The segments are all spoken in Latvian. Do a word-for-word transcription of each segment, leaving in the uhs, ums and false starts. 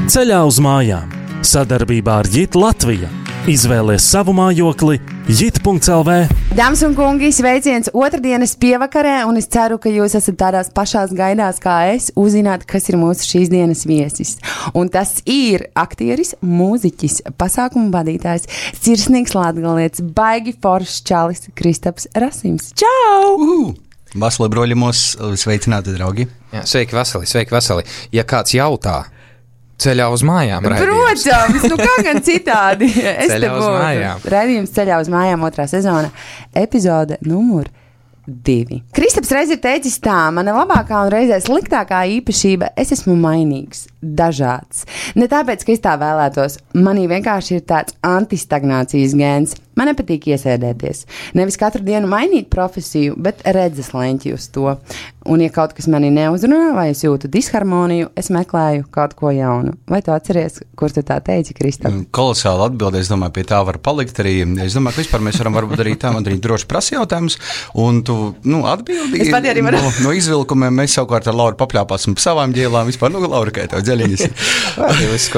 Ceļā uz mājām. Sadarbībā ar Jit Latvija. Izvēlies savu mājokli jit punkts el vē. Dāmas un kungi, sveiciens otrdienas pievakarē, un es ceru, ka jūs esat tādās pašās gaidās kā es, uzzināt, kas ir mūsu šīs dienas viesis. Un tas ir aktieris, mūziķis, pasākumu vadītājs, sirsnīgs latgalietis, baigi foršs čalis Kristaps Rasims. Čau! Uhu! Vasali broļumos, sveicināti, draugi. Jā, sveiki, Vasali, sveiki, Vasali. Ja kāds jautā, ceļā uz mājām raidījums. Protams, nu kā gan citādi. Es ceļā uz mājām. Raidījums ceļā uz mājām otrā sezona, epizode numur divi. Kristaps reiz ir teicis tā, mana labākā un reizē sliktākā īpašība, es esmu mainīgs, dažāds. Ne tāpēc, ka es tā vēlētos, manī vienkārši ir tāds antistagnācijas gēns. Man nepatīk iesēdēties. Nevis katru dienu mainīt profesiju, bet redzes leņķi uz to. Un, ja kaut kas mani neuzrunā, vai es jūtu disharmoniju, es meklēju kaut ko jaunu. Vai tu atceries, kur tu tā teici, Kristap? Kolosāli atbildi, es domāju, pie tā var palikt arī. Es domāju, ka vispār mēs varam varbūt arī tā, man arī droši prasa jautājumus, un tu, nu, atbildi. Es pati arī varu. No, no izvilkumiem mēs savukārt ar Lauru papļāpāsim savām ģēlām, vispār, nu, Laura, kā tev dzeļiņas.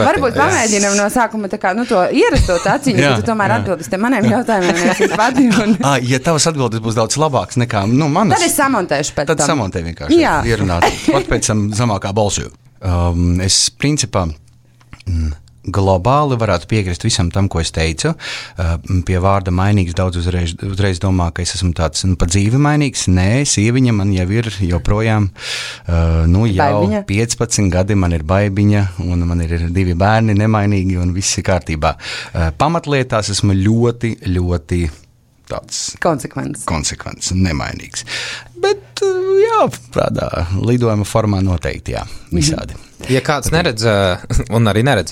Varbūt pamēģinam no sākuma tā kā, nu, to ierasto taciņu, ka tu tomēr atbildi te maniem jautājumiem. Un... À, ja tavas atbildes būs daudz labāks nekā, nu, manas. Tad es samontēšu pēc tad tam. Tad samontē vienkārši. Jā. Ierunāt. Pat pēc tam zemākā balsu. Um, es, principā, mm, globāli varētu piekrist visam tam, ko es teicu. Uh, pie vārda mainīgs daudz uzreiz, uzreiz domā, ka es esmu tāds, nu, pa dzīvi mainīgs. Nē, sieviņa man jau ir joprojām, uh, nu, jau baibiņa. piecpadsmit gadi, man ir baibiņa, un man ir divi bērni nemainīgi, un viss ir kārtībā. Uh, pamatlietās esmu ļoti, ļoti tāds konsekvents, konsekvents nemainīgs. Bet, jā, tādā lidojuma formā noteikti, jā, visādi. Ja kāds neredz, un arī neredz,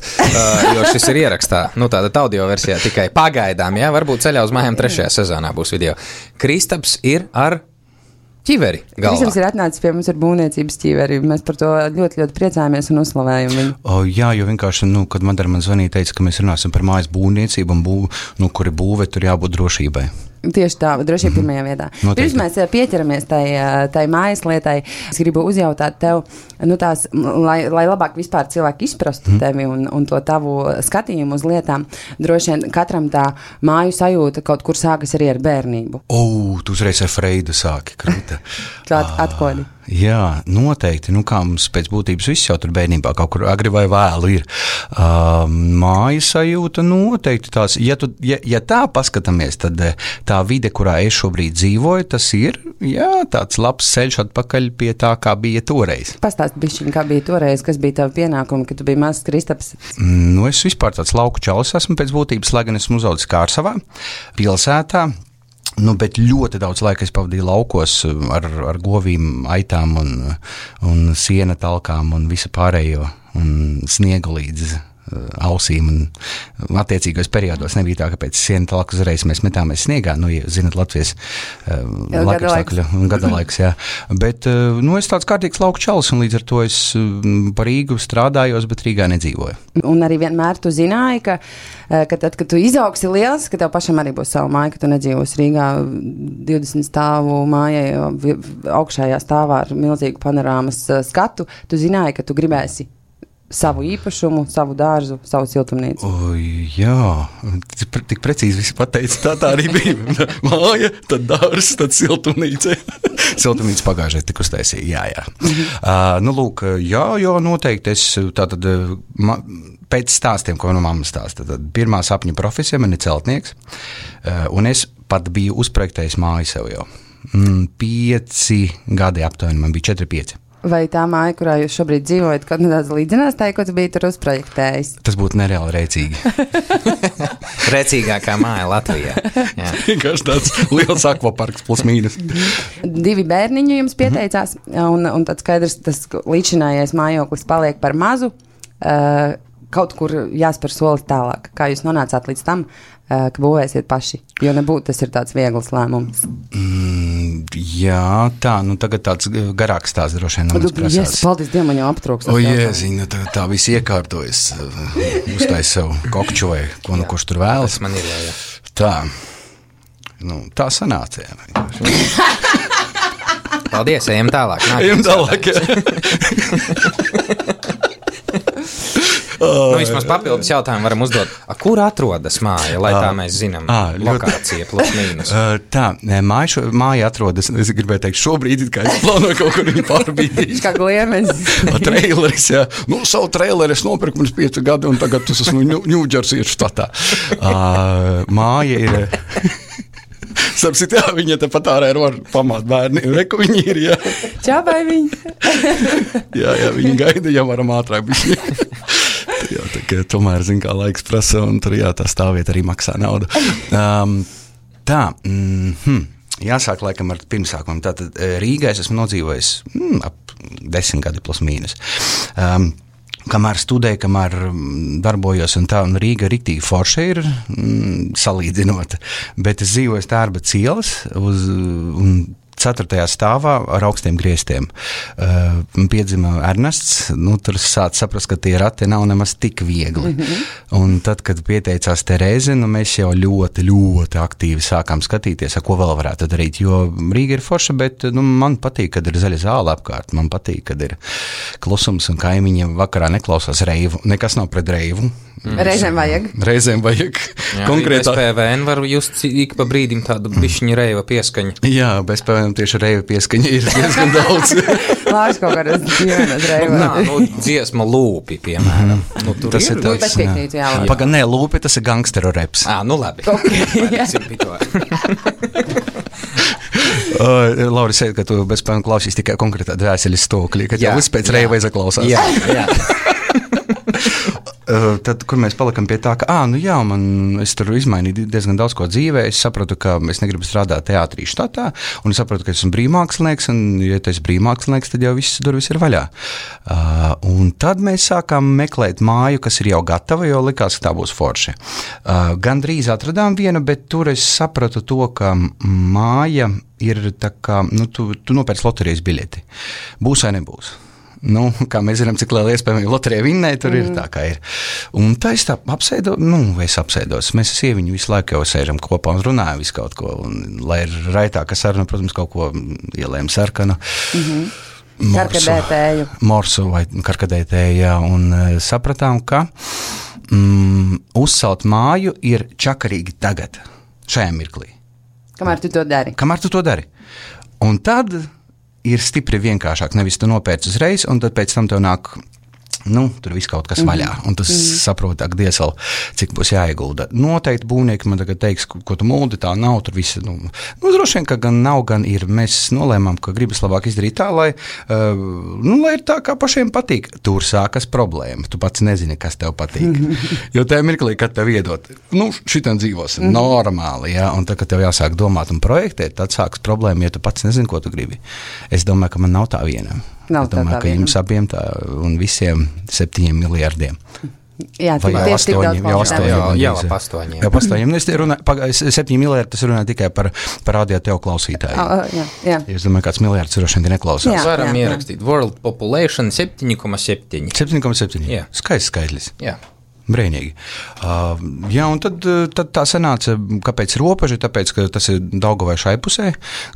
jo šis ir ierakstā, nu tāda audio versijā tikai pagaidām, jā, varbūt ceļā uz mājām trešajā sezonā būs video. Kristaps ir ar ķiveri galvā. Kristaps ir atnācis pie mums ar būvniecības ķiveri, mēs par to ļoti, ļoti priecājamies un uzslavējam viņu. O, jā, jo vienkārši, nu, kad Madara man zvanīja, teica, ka mēs runāsim par mājas būvniecību un būv, nu, kuri būvē, tur jābūt drošībai. Tieši tā, droši vien pirmajā vietā. Pirms mēs pieķeramies tai, tai mājas lietai, es gribu uzjautāt tev, nu tās, lai, lai labāk vispār cilvēki izprastu mm. tevi un, un to tavu skatījumu uz lietām. Droši vien katram tā māju sajūta kaut kur sākas arī ar bērnību. O, tu uzreiz ar Freidu sāki, krūta. At, atkodi. Jā, noteikti. Nu, kā mums pēc būtības viss jau tur bērnībā kaut kur agri vai vēlu ir. Uh, māju sajūta noteikti tās. Ja, tu, ja, ja tā paskatāmies, tad tā vide, kurā es šobrīd dzīvoju, tas ir, jā, tāds labs ceļš atpakaļ pie tā, kā bija toreiz. Pastāst bišķiņ, kā bija toreiz, kas bija tavi pienākumi, kad tu biji mazs Kristaps? Nu, es vispār tāds lauku čalis esmu pēc būtības, lai gan esmu uzaudzis Kārsavā, pilsētā. Nu, bet ļoti daudz laika es pavadīju laukos ar, ar govīm, aitām un, un siena talkām un visu pārējo un sniegu līdz ausīm un attiecīgos periodos nebija tā, ka pēc siena talku uzreiz mēs metāmies sniegā, nu, ja zinat, Latvijas uh, laikapstākļu un gada laiks, jā. Bet, uh, nu, es tāds kārtīgs lauku čalis un līdz ar to es uh, par Rīgu strādājos, bet Rīgā nedzīvoju. Un arī vienmēr tu zināji, ka, ka tad, kad tu izaugsi liels, ka tev pašam arī būs savu māju, ka tu nedzīvos Rīgā divdesmit stāvu mājai, augšējā stāvā ar milzīgu panorāmas skatu, tu zināji, ka tu gribēsi savu īpašumu, savu dārzu, savu siltumnīcu. O, jā, tik precīzi viss pateica, tā tā arī bija. Māja, tad dārs, tad siltumnīca. Siltumnīca pagājušajā tik uztaisīja, jā, jā. Mm-hmm. Uh, nu, lūk, jā, jā, noteikti es tātad, ma, pēc stāstiem, ko no mammas stāsta, tad pirmā sapņu profesija man ir celtnieks, uh, un es pat biju uzprojektējis māju sev jau. Mm, pieci gadi aptuveni, man bija četri pieci. Vai tā māja, kurā jūs šobrīd dzīvojat, kaut nedaudz līdzinās tā, ko tu biji tur uzprojektējis? Tas būtu nereāli rēcīgi. Rēcīgākā māja Latvijā. Vienkārši tāds liels akvaparks plus mīnus. Divi bērniņi jums pieteicās, un, un tad skaidrs, tas līdzinājais mājoklis paliek par mazu. Uh, kaut kur jāspēr soli tālāk. Kā jūs nonācāt līdz tam, uh, ka būvēsiet paši? Jo nebūtu tas ir tāds viegls lēmums. Mm, jā, tā, nu tagad tāds garāks tās droši vien. Yes, paldies Dievam, man jau aptrūks. O, jēziņ, tā, tā viss iekārtojas. Uztais sev kokču vai ko nu kurš tur vēlas. Tas man ir, jā, jā. Tā, nu, tā sanāca, jā. Paldies, ejam tālāk. Ejam tālāk, jā. Nu, vismaz papildus jautājumu varam uzdot. A, kur atrodas māja, lai tā mēs zinām? À, lokācija plus mīnus. Tā, māja, šo, māja atrodas, es gribēju teikt, šobrīd, kā es plānoju kaut kur viņu pārbīdīt. Kā gliemenis. Traileris, jā. Nu, savu traileri es nopirku pirms pieci gadi, un tagad tas esmu Ņūdžersijas štatā. Uh, māja ir... Sapsit, jā, viņa te pat ārā ir var pamāt bērni. Reku viņi ir, jā. Čābai viņi. jā, jā, viņi gaida, ja varam ātrāk bišķi. jā, tā kā tomēr, zin, kā laiks prasa, un tur, jā, tā stāvvieta arī maksā naudu. Um, tā, mm, hm, jāsāk laikam ar pirmsākumam. Tātad Rīgā es esmu nodzīvojis mm, ap desmit gadi plus mīnus. Um, Kamēr studēju, kamēr darbojos un tā, un Rīga riktīgi forša ir mm, salīdzinot, bet es dzīvoju Stērba cielas uz, un ceturtajā stāvā ar augstiem griestiem. Uh, piedzima Ernests, nu, tur sāc saprast, ka tie rati nav nemaz tik viegli. Mm-hmm. Un tad, kad pieteicās Terēze, nu, mēs jau ļoti, ļoti aktīvi sākām skatīties, ar ko vēl varētu darīt, jo Rīga ir forša, bet nu, man patīk, kad ir zaļa zāle apkārt, man patīk, kad ir klusums un kaimiņi vakarā neklausās reivu, nekas nav pret reivu. Mm. Reizēm vajag. Reizēm vajag. Jā, konkrētā... bez P V N var just ik pa brīdim tādu bišķiņu reiva pieskaņu. Jā, bez P V N tieši reiva pieskaņa ir diezgan daudz. Lārs kaut kādas ģimenes reiva. Nā, nu, dziesma lūpi, piemēram. Nu, tur tas ir, ir tāds, bet piekrītu, jā. Paga, nē, lūpi, tas ir gangsteru reps. Ā, nu labi. Okay, uh, Lauri, sēd, ka tu bez P V N klausīs tikai konkrētā dvēseles stokļi, ka tev viss pēc reiva izaklausās. Jā, jā. Uh, tad, kur mēs palikam pie tā, ka, ā, nu jā, man, es tur izmainīju diezgan daudz ko dzīvē, es sapratu, ka es negribu strādāt teātrī štatā, un es sapratu, ka esmu brīvmākslinieks, un, ja tu esi brīvmākslinieks, tad jau viss durvis ir vaļā. Uh, un tad mēs sākām meklēt māju, kas ir jau gatava, jo likās, ka tā būs forši. Uh, gan drīz atradām vienu, bet tur es sapratu to, ka māja ir tā kā, nu, tu, tu nopērc loterijas biļeti. Būs vai nebūs? Nu, kā mēs zinām, cik liela iespēja loterijā vinnēt, tur mm. ir tā, kā ir. Un tā es tā apsēdu, nu, es apsēdos. Mēs ar sieviņu visu laiku jau sēžam kopā un runājam visu kaut ko. Un, lai ir raitāka saruna, protams, kaut ko ielējam sarkanu. Mm-hmm. Karkadētēju. Morsu vai karkadētēju, jā. Un sapratām, ka mm, uzcelt māju ir čakarīgi tagad, šajā mirklī. Kamēr tu to dari. Kamēr tu to dari. Un tad... ir stipri vienkāršāk, nevis tu nopērci uzreiz, un tad pēc tam tev nāk, nu, tur viss kaut kas vaļā, un tas mm-hmm. saprot, ak, diesel, cik būs jāiegulda. Noteikti būvnieki man tagad teiks, ko tu muldi, tā nav, tur viss, nu, nu droši vien, ka gan nav, gan ir. Mēs nolēmām, ka gribas labāk izdarīt tā, lai, uh, nu, lai ir tā, kā pašiem patīk. Tur sākas problēma, tu pats nezini, kas tev patīk. Mm-hmm. Jo tajā mirklī, kad tev iedot, nu, šitam dzīvos mm-hmm. normāli, jā, un tad, kad tev jāsāk domāt un projektēt, tad sākas problēma, ja tu pats nezini, ko tu gribi. Es domāju, ka man nav tā viena. Nav es domāju, tā ka jums abiem tā un visiem septiņiem miljardiem. Jā, vai jau astoņi, jau astoņi. Jā, jau ap astoņiem. Jau astoņiem. Es runāju, septiņi miljardi, tas runā tikai par, par radio tev klausītāju. Oh, jā, jā. Es domāju, kāds miljards ir rošana, ka neklausās. Jā, varam jā, ierakstīt. World population septiņi koma septiņi. septiņi koma septiņi. Jā. Skaists skaitlis. Jā. Brīnīgi. Uh, jā, un tad, tad tā sanāca, kāpēc robeža, tāpēc, ka tas ir Daugavai šai pusē,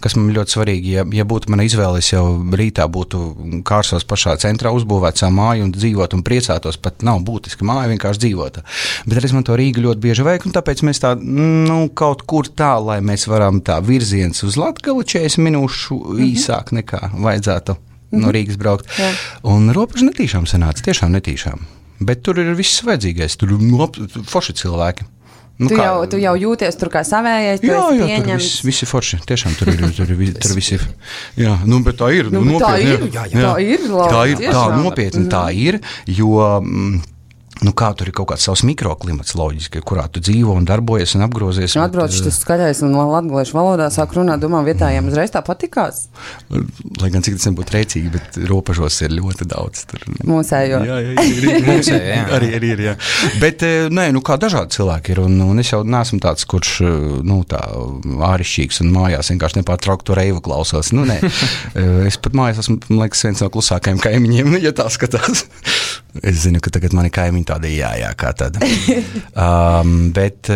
kas man ļoti svarīgi. Ja, ja būtu mana izvēle, es jau rītā būtu Kārsos pašā centrā uzbūvēt savu māju un dzīvot un priecātos, pat nav būtiski māja, vienkārši dzīvota. Bet arī man to Rīgu ļoti bieži vajag, un tāpēc mēs tā, nu, kaut kur tā, lai mēs varam tā virziens uz Latgali četrdesmit minūšu mm-hmm. īsāk nekā vajadzētu mm-hmm. no Rīgas braukt. Jā. Un robeža netīšām sanāca, tiešām netīšām. Bet tur ir viss vajadzīgais, tur ir forši cilvēki. Nu, tu, kā, jau, tu jau jūties tur kā savējais, tu jā, esi jā, pieņemts. Jā, tur viss, viss ir forši, tiešām tur ir, tur ir, tur viss ir. Jā, nu, bet tā ir. Nu, nu, tā nopietni, ir, jā, jā. Tā ir, labi, tā ir, tā tiešām. nopietni tā ir, jo... Mm, nu, kā tur ir kaut kāds savs mikroklimats loģiski, kurā tu dzīvo un darbojies un apgrozies. Nu, atbrauc šis skaļais un latgaliešu valodā sāk runāt, domā, vietājiem uzreiz tā patikās. Lai gan cik tas nebūtu rēcīgi, bet robežos ir ļoti daudz. Tur. Mūsējo. Jā, jā, ir, ir, Mūsējo, jā. Arī, arī ir, jā. Bet, nē, nu, kā dažādi cilvēki ir, un, un es jau neesmu tāds, kurš, nu, tā ārišķīgs un mājās vienkārši nepārtraukt to reivu klausos. Nu, nē, es pat mājās esmu, man liekas, viens no klusākajiem kaimiņiem, ja tā skatās. Es zinu, ka tagad mani kaimiņi tāda jā, jā, kā tāda. um, bet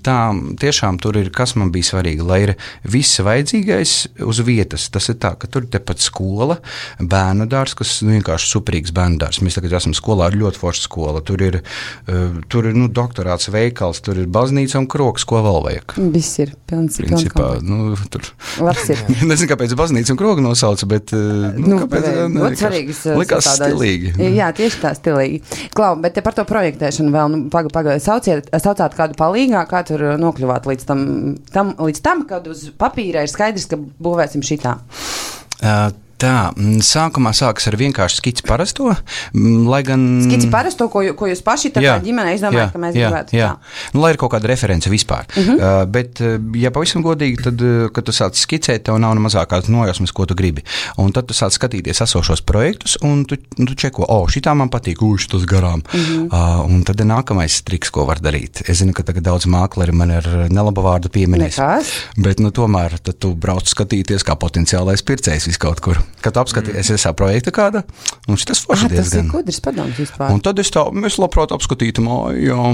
tā, tiešām tur ir, kas man bija svarīgi, lai ir viss vajadzīgais uz vietas. Tas ir tā, ka tur ir tepat skola, bērnu dārs, kas nu, vienkārši superīgs bērnu dārs. Mēs tagad esam skolā, ir ļoti forša skola. Tur ir, uh, tur ir nu, doktorāts veikals, tur ir baznīca un kroks, ko vēl vajag. Viss ir pilns. Principā, nu, tur. Labs ir. Nezinu, kāpēc baznīca un krogu nosauca, bet nu, nu, kāpēc, ne, ļoti svarīgas. Likās stilīgi. Jā, tieši tā stilīgi. Klau, bet te par to projektēšanu vēl, nu, paga, paga, sauciet, saucāt kādu palīgā, kā tur nokļuvāt līdz tam, tam, līdz tam, kad uz papīra ir skaidrs, ka būvēsim šitā. Uh, Tā, sākumā sākas ar vienkārši skici parasto, lai gan... Skici parasto, ko, ko jūs paši tā jā, kā ģimene izdomājat, ka mēs jā, gribētu. Jā, nu, lai ir kaut kāda reference vispār. Uh-huh. Uh, bet, ja pavisam godīgi, tad, kad tu sāc skicēt, tev nav ne mazākās nojausmas, ko tu gribi. Un tad tu sāc skatīties esošos projektus, un tu, tu čeko, o, šitā man patīk, u, šitas garām. Uh-huh. Uh, un tad ir nākamais triks, ko var darīt. Es zinu, ka tagad daudz mākleri man ir nelaba vārdu pieminēs. Nekas. Bet, nu, tomēr, tad tu brauc skatīties kā potenciālais pircējs vis kaut kur. Kad apskatīties, mm. es projekta kāda, un šitas forši ah, diezgan. Tas ir gudrs padoms vispār. Un tad es tā, mēs labprāt apskatītu māju, jā,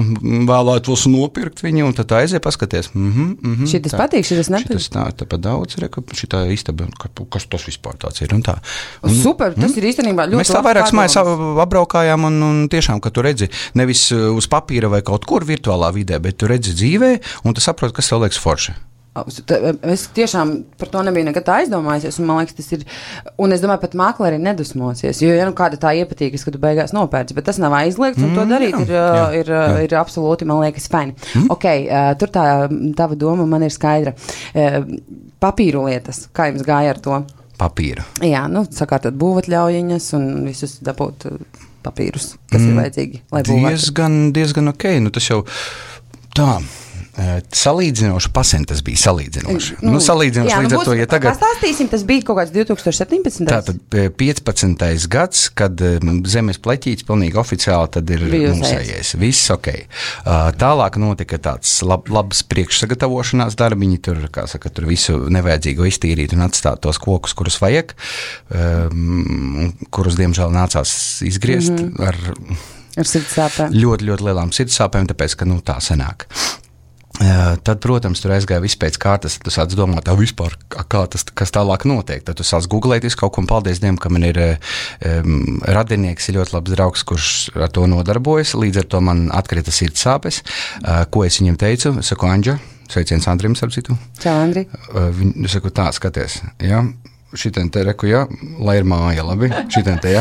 vēlētos nopirkt viņu, un tad tā aizie paskaties. Mm-hmm, mm-hmm, šitas tā, patīk, šitas nepatīk. Šitas tā, tā pa daudz, reka, šitā istaba, kas tas vispār tāds ir, un tā. Un, super, tas mm? ir īstenībā ļoti mēs tā vairākas mājas apbraukājām, un, un tiešām, ka tu redzi nevis uz papīra vai kaut kur virtuālā vidē, bet tu redzi dzīvē, un tu saproti, kas tev liekas forši. Es tiešām par to nebiju nekad aizdomājusies, un man liekas, tas ir, un es domāju, pat mākleri nedusmosies, jo, ja nu kāda tā iepatīkas, ka tu beigās nopērci, bet tas nav aizliegts, un mm, to darīt jā, ir, jā, ir, jā. ir absolūti, man liekas, fajni. Mm. Ok, tur tā tava doma man ir skaidra. Papīru lietas, kā jums gāja ar to? Papīra. Jā, nu, sakārtot būvatļaujiņas un visus dabūt papīrus, kas mm. ir vajadzīgi, lai būvētu. Diezgan, diezgan ok, nu tas jau tā. Salīdzinoši pasent tas bija salīdzinoši. Nu, nu, salīdzinoši jā, līdz nu, ar to, ja tagad... Pastāstīsim, tas bija kaut kāds divtūkstoš septiņpadsmitais. Tātad piecpadsmitais gads, kad zemes pleķīts pilnīgi oficiāli tad ir mūsējies. Viss ok. Tālāk notika tāds lab, labs priekšsagatavošanās darbiņi, tur, kā saka, tur visu nevajadzīgo iztīrīt un atstāt tos kokus, kurus vajag, um, kurus, diemžēl, nācās izgriezt mm-hmm. ar, ar sirdsāpēm. Ļoti, ļoti lielām sirdsāpēm, tāpēc, ka, nu, tā sanāk. Uh, tad, protams, tur aizgāja viss pēc kārtas, tad tu sāc domāt, tā vispār, kā tas, kas tālāk notiek. Tad tu sāc googlēties kaut ko, un paldies Dievam, ka man ir um, radinieks, ir ļoti labs draugs, kurš ar to nodarbojas, līdz ar to man atkrita sirdsāpes. Uh, ko es viņam teicu? Es saku, Andža, sveiciens Andrim, starp citu. Čau, Andri. Uh, viņ, es saku, tā, skaties, jā. Šitien te reku, jā, lai ir māja, labi, šitien te, jā.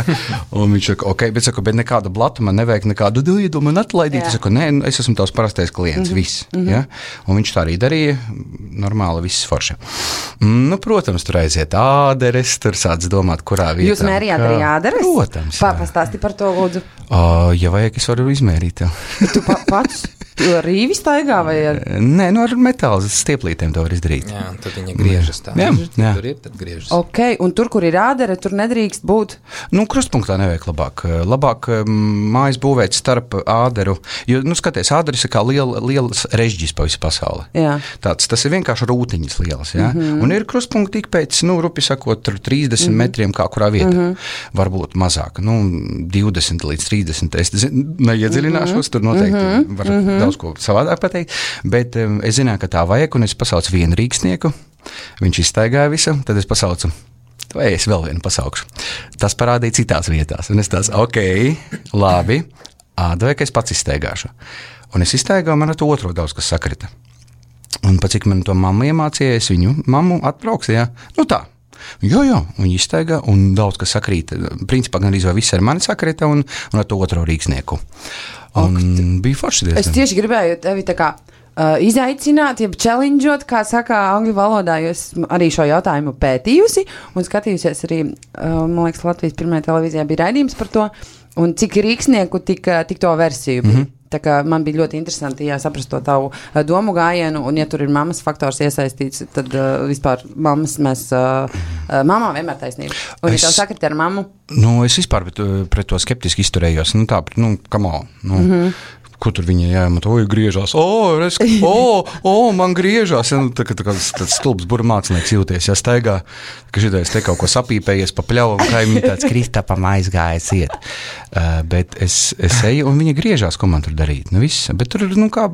Un viņš saka, ok, bet saku, bet nekādu blatu man nevajag, nekādu dīdu man atlaidīt. Es saku, nē, es esmu tavs parastais klients, mm-hmm. viss, mm-hmm. jā. Un viņš tā arī darīja, normāli, viss forši. Nu, protams, tur aiziet āderes, tur sāc domāt, kurā vietā. Jūs mērījāt arī āderes? Protams, jā. Pastāsti par to, lūdzu. Uh, ja vajag, es varu izmērīt tev. Tu pa, pats? Tu ar rīvi staigā vai ar? Nē, nu ar metāla stieplītēm to var izdarīt. Jā, un tad viņa griežas tā. Jā, jā. Tur ir, tad griežas. Ok, un tur, kur ir ādere, tur nedrīkst būt? Nu, krustpunktā nevajag labāk. Labāk mājas būvēt starp āderu, jo, nu, skaties, āderis ir kā liela, lielas režģis pa visu pasauli. Jā. Tāds, tas ir vienkārši rūtiņas lielas, jā. Mm-hmm. Un ir krustpunkti tik pēc, nu, rupi sakot, trīsdesmit mm-hmm. metriem kā kurā vietā. Mm-hmm. Varbūt mazāk, nu, divdesmit līdz trīsdesmit. Es neiedziļināšos, mm-hmm. tur noteikti mm-hmm. var mm-hmm. daudz ko savādāk pateikt, bet um, es zināju, ka tā vajag, un es pasaucu vienu rīksnieku, viņš izstaigāja visu, tad es pasaucu, vai es vēl vienu pasaukšu. Tas parādīja citās vietās, un es tās, ok, labi, ādavai, ka es pats izstaigāšu. Un es izstaigāju, man ar to otro daudz, kas sakrita. Un pa cik man to mammu iemācīja, es viņu mammu atbrauks, jā, nu tā. Jā, jā, viņi izstaigā, un daudz, kas sakrīt, principā gan arī viss ar mani sakrita, un, un ar to otro rīksnieku. Un ok, bija forši diezgan. Es tieši gribēju tevi tā kā uh, izaicināt, jeb challengeot, kā saka angļu valodā, jo es arī šo jautājumu pētījusi un skatījusies arī, uh, man liekas, Latvijas pirmajā televīzijā bija raidījums par to, un cik rīksnieku, tik, tik to versiju bija. Mm-hmm. Tā kā man bija ļoti interesanti, jā, saprast to tavu uh, domu gājienu, un ja tur ir mammas faktors iesaistīts, tad uh, vispār mammas mēs, uh, uh, mamā vienmēr taisnība. Un es, ja tev sakrit ar mammu? Nu, es vispār pret, pret to skeptiski izturējos, nu tā, nu, come on, nu. Mm-hmm. ko tur viņa jāmat, oi, griežās, o, es, o, o, man griežās. Ja, nu, tā, tā, tāds, tāds stulbs bura mācinieks jūties, ja staigā, ka šitais te kaut ko sapīpējies pa pļavu, un kaimiņi tāds Kristapam aizgājas iet. Uh, bet es, es eju, un viņa griežās, ko man tur darīt. Nu, viss. Bet tur, nu, kā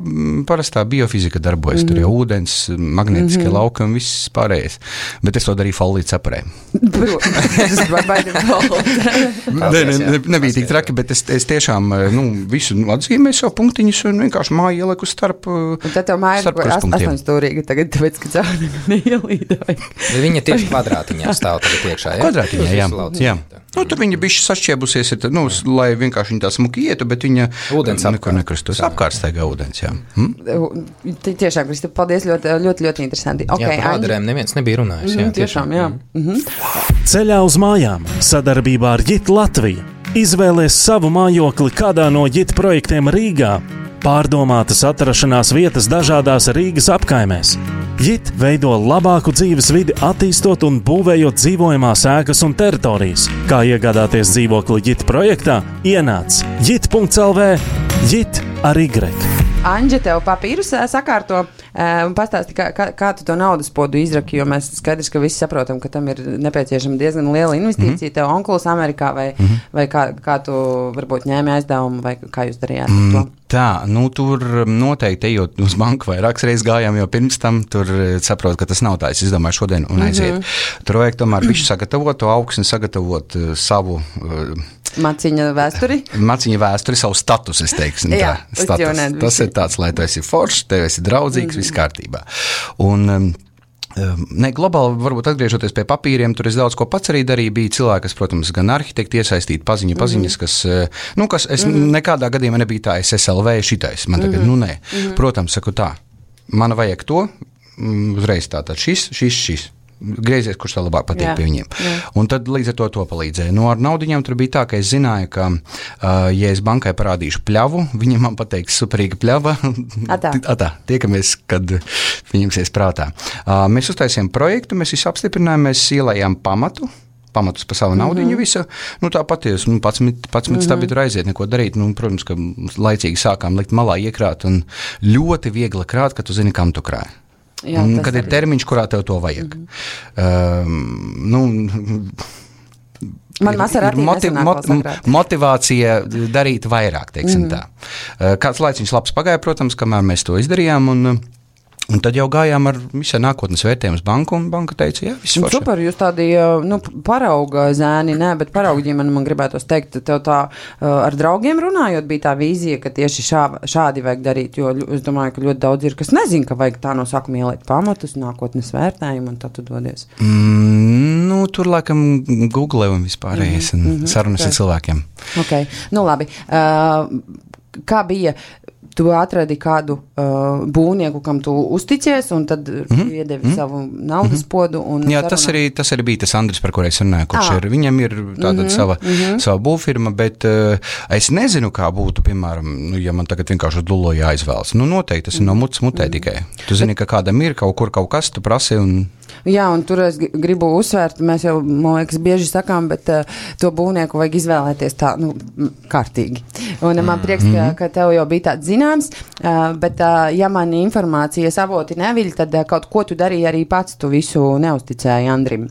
parastā biofizika darbojas, mm-hmm. tur jau ūdens, magnetiskie mm-hmm. lauki un viss pārējais. Bet es to darīju folīt saparē. Tas var baidīt folīt. Ne, ne, ne, nebija tik traki, bet es, es tiešām, nu, visu atzīmēju savu punktiņus un vienkārši māju ieliku starp krustpunktiem. Un tad tev māja ir astoņstūrīga tagad, tāpēc, ka cauri neielīdoja. Viņa tieši kvadrātiņā stāv tagad iekšā, jā? Kvadrātiņā, jā. jā. Nu, tur viņa bišķi sašķiebusies, ir, nu, lai vienkārši viņa tā smuki ietu, bet viņa ūdens nekur nekrustos. Apkārt staigā ūdens, jā. Hm? Tiešām, Kristap, paldies, ļoti, ļoti, ļoti interesanti. Okay, jā, par ādarēm neviens nebija runājis. Jā, mm, tiešām, jā. Mm-hmm. Ceļā uz mājām sadarbībā ar Jit Latviju. Izvēlies savu mājokli kādā no Jit projektiem Rīgā. Pārdomātas atrašanās vietas dažādās Rīgas apkaimēs. Jit veido labāku dzīves vidi, attīstot un būvējot dzīvojamās ēkas un teritorijas. Kā iegādāties dzīvokli Jit projektā? Ienāc jit punkts el vē, Jit ar Y. Anģa, tev papīrus sakārto un pastāsti, kā, kā, kā tu to naudas podu izraki, jo mēs skaidrs, ka visi saprotam, ka tam ir nepieciešama diezgan liela investīcija. Mm-hmm. Tev onkulis Amerikā vai, mm-hmm. vai kā, kā tu varbūt ņēmi aizdevumu vai kā jūs darījāt mm, to? Tā, nu tur noteikti ejot uz banku vairākas reizes gājām, jo pirms tam tur saprot, ka tas nav tā, es izdomāju šodien un aiziet. Mm-hmm. Tur vajag tomēr bišķi sagatavot to augsni, sagatavot uh, savu... Uh, Maciņa vēsturi? Maciņa vēsturi, savu status, es teiksim. Jā, tā, status. Tas ir tāds, lai tu esi foršs, tev esi draudzīgs, mm-hmm. viss kārtībā. Un... Um, Ne, globāli, varbūt atgriežoties pie papīriem, tur es daudz ko pats arī darīju. Bija cilvēki, kas, protams, gan arhitekti iesaistīti, paziņu, paziņas, kas, nu, kas es mm-hmm. nekādā gadījumā nebija tā, es S L V šitais. Man tagad, mm-hmm. nu, nē. Mm-hmm. Protams, saku tā, man vajag to, uzreiz tātad šis, šis, šis. Griezies, kurš tā labāk patīk jā, pie viņiem. Jā. Un tad līdz ar to to palīdzēja. Nu, ar naudiņām tur bija tā, ka es zināju, ka, uh, ja es bankai parādīšu pļavu, viņi man pateiks superīga pļava. Atā. Atā, tiekamies, kad viņamsies prātā. Uh, mēs uztaisījām projektu, mēs visu apstiprinājām, mēs ielējām pamatu. Pamatus pa savu naudiņu mm-hmm. visu. Nu, tā patiesi, nu, pats mm-hmm. stābi tur aiziet, neko darīt. Nu, protams, ka laicīgi sākām likt malā iekrāt un ļoti viegli krāt, ka tu zini, kam tu krāji. Jā, un, kad ir termiņš, kurā tev to vajag. Mm-hmm. Um, nu, Man ir, ir motiv, mot, motivācija darīt vairāk, teiksim mm-hmm. tā. Kāds laiciņš labs pagāja, protams, kamēr mēs to izdarījām, un, un tad jau gājām ar visai nākotnes vērtējumus banku, un banka teica, jā, viss forši. Super, jūs tādi, nu, parauga zēni, nē, bet parauga ģimene, man gribētos teikt, tev tā ar draugiem runājot, bija tā vīzija, ka tieši šā, šādi vajag darīt, jo es domāju, ka ļoti daudz ir, kas nezin, ka vajag tā no sākuma ielikt pamatus, nākotnes vērtējumu, un tad tu dodies. Mm, nu, tur laikam Google un vispārējais, mm-hmm. un sarunas okay. ar cilvēkiem. Ok, nu labi. Uh, kā bija... Tu atradi kādu uh, būvnieku, kam tu uzticies, un tad mm-hmm. iedevi mm-hmm. savu naudas podu. Un jā, tas arī, tas arī bija tas Andris, par kur es runāju, kurš ir, viņam ir tātad mm-hmm. sava, mm-hmm. sava būvfirma, bet uh, es nezinu, kā būtu, piemēram, nu, ja man tagad vienkārši dullo jāizvēlas. Nu, noteikti, tas ir no mutes mutē mm-hmm. tikai. Tu zini, ka kādam ir kaut kur kaut kas, tu prasi un... Jā, un tur es gribu uzsvērt, mēs jau, man liekas, bieži sakām, bet uh, to būvnieku vajag izvēlēties tā, nu, kārtīgi. Un mm. man prieks, ka, ka tev jau bija tāds zināms, uh, bet uh, ja man informācijas avoti neviļ, tad uh, kaut ko tu darīji arī pats, tu visu neusticēji Andrim.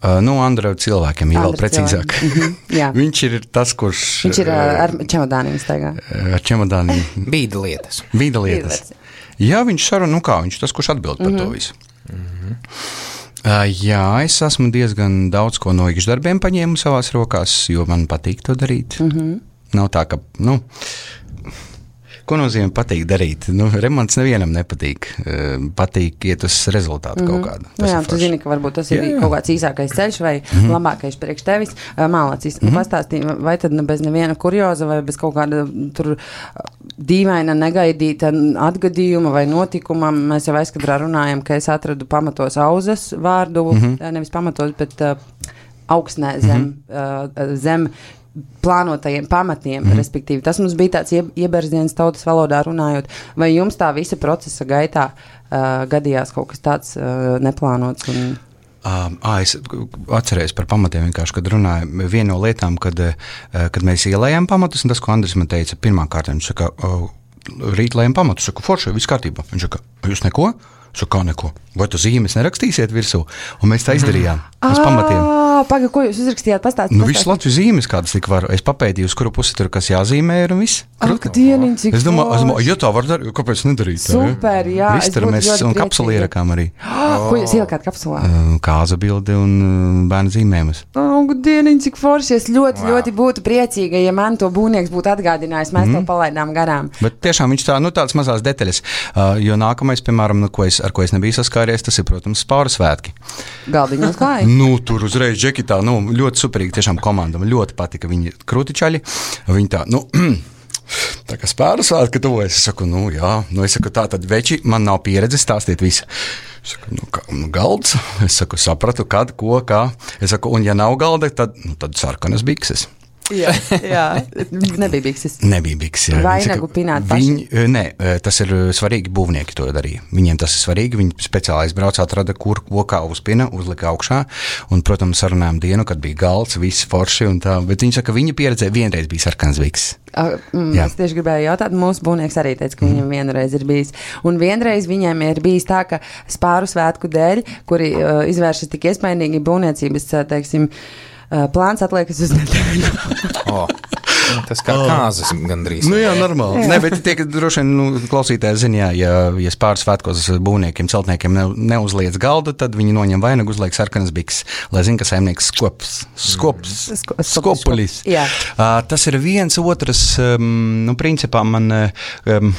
Uh, nu, Andra cilvēkiem, ja vēl precīzāk. Mm-hmm, Viņš ir tas, kurš... Viņš ir uh, ar čemodāniem staigā. Ar čemodāniem. Bīda lietas. Bīda lietas. Jā, viņš saruna, nu kā, viņš tas, kurš atbild par mm-hmm. to visu. Mm-hmm. Uh, jā, es esmu diezgan daudz ko no iekšdarbiem paņēmu savās rokās, jo man patīk to darīt. Mm-hmm. Nav tā, ka, nu, ko nozīmē patīk darīt? Nu, remonts nevienam nepatīk. Uh, patīk iet uz rezultātu mm-hmm. kaut kādu. Tas jā, tu zini, ka varbūt tas ir jā, jā. kaut kāds īsākais ceļš vai mm-hmm. labākais priekš tevis. Uh, Mālācis, mm-hmm. pastāstīja, vai tad nu, bez neviena kurioza vai bez kaut kāda tur dīvaina, negaidīta atgadījuma vai notikuma. Mēs jau aizkadrā runājam, ka es atradu pamatos auzas vārdu, mm-hmm. nevis pamatos, bet uh, augsnē zem, mm-hmm. uh, zem plānotajiem pamatiem, mm-hmm. respektīvi. Tas mums bija tāds ieberziens tautas valodā runājot. Vai jums tā visa procesa gaitā uh, gadījās kaut kas tāds uh, neplānots? Un... Um, à, es atcerējos par pamatiem vienkārši, kad runāju. Viena no lietām, kad, kad mēs ielējām pamatus, un tas, ko Andris man teica, pirmā kārtā, viņš saka, rīt lējam pamatus, saka, forši, viss kārtībā. Viņš saka, jūs neko? Saka, kā neko? Vai tu zīmes nerakstīsiet virsū? Un mēs tā izdarījām, uz pamatiem. Paga, ko jūs uzrakstījāt? Pastāstīt. Nu, visu Latvijas zīmes, kādas tik var. Es papētīju, uz kuru pusi tur, kas jāzīmē ir un viss. Ak, dieniņ, cik es domāju, es domāju, ja tā var darīt, kāpēc nedarīt? Super, jā. Viss tur mēs un kapsuli ierakām arī. Oh, ko jūs ielikāt kapsulā? Kāza bildi un bērnu zīmējumus. Ak, dieniņ, cik forši. Es ļoti, wow. ļoti būtu priecīga, ja man to būvnieks būtu atgādinājis. Mēs mm. to palaidām garām. Bet tiešām viņš tā, nu tādas mazās detaļas. Uh, jo nākamais, piemēram, nu, ko es, ar ko es nebiju saskāries, tas ir, protams, Spāru svētki. Galdiņos klāja. Nu, tur uzreiz džekitā, nu, ļoti superīgi, tiešām komanda. Man ļoti patika viņi krutičaļi. Viņi tā, nu, tā kā Spāru svētki tuvojas. Es saku, nu, jā, nu, es saku, tā tad veči, man nav pieredze stāstīt visu. Es saku, nu, kā, nu, galds. Es saku, sapratu, kad, ko, kā. Es saku, un ja nav galda, tad, nu, tad sarkanas bikses. Jā, jā, nebija bikses. Nebija bikses, jā. Vainagu pināt paši. Viņi, nē, tas ir svarīgi, būvnieki to darīja. Viņiem tas ir svarīgi, viņi speciāli aizbrauca, atrada, kur kokā uzpina, uzlika augšā, un, protams, sarunājām dienu, kad bija galds, viss forši un tā, bet viņi saka, viņa pieredzē vienreiz bija sarkanas bikses. Mm, es tieši gribēju jautāt, mūsu būvnieks arī teica, ka viņam vienreiz ir bijis. Un vienreiz viņiem ir bijis tā, ka Spāru svētku dēļ, kuri uh, izvēršas tik iespaidīgi būvniecības, teiksim, uh, plāns atliekas uz nedēļu. Oh. Tas kā kāzas gandrīz. Nu jā, normāli. Jā. Ne, bet tie, ka droši vien nu, klausītāji zina, jā, ja, ja Spāru svētkos būvniekiem, celtniekiem ne, neuzliec galdu, tad viņi noņem vainagu, uzliek sarkanas bikses, lai zina, ka saimnieks skops, skops, Sko, skopulis. Jā. Uh, tas ir viens otrs, um, nu, principā man... Um,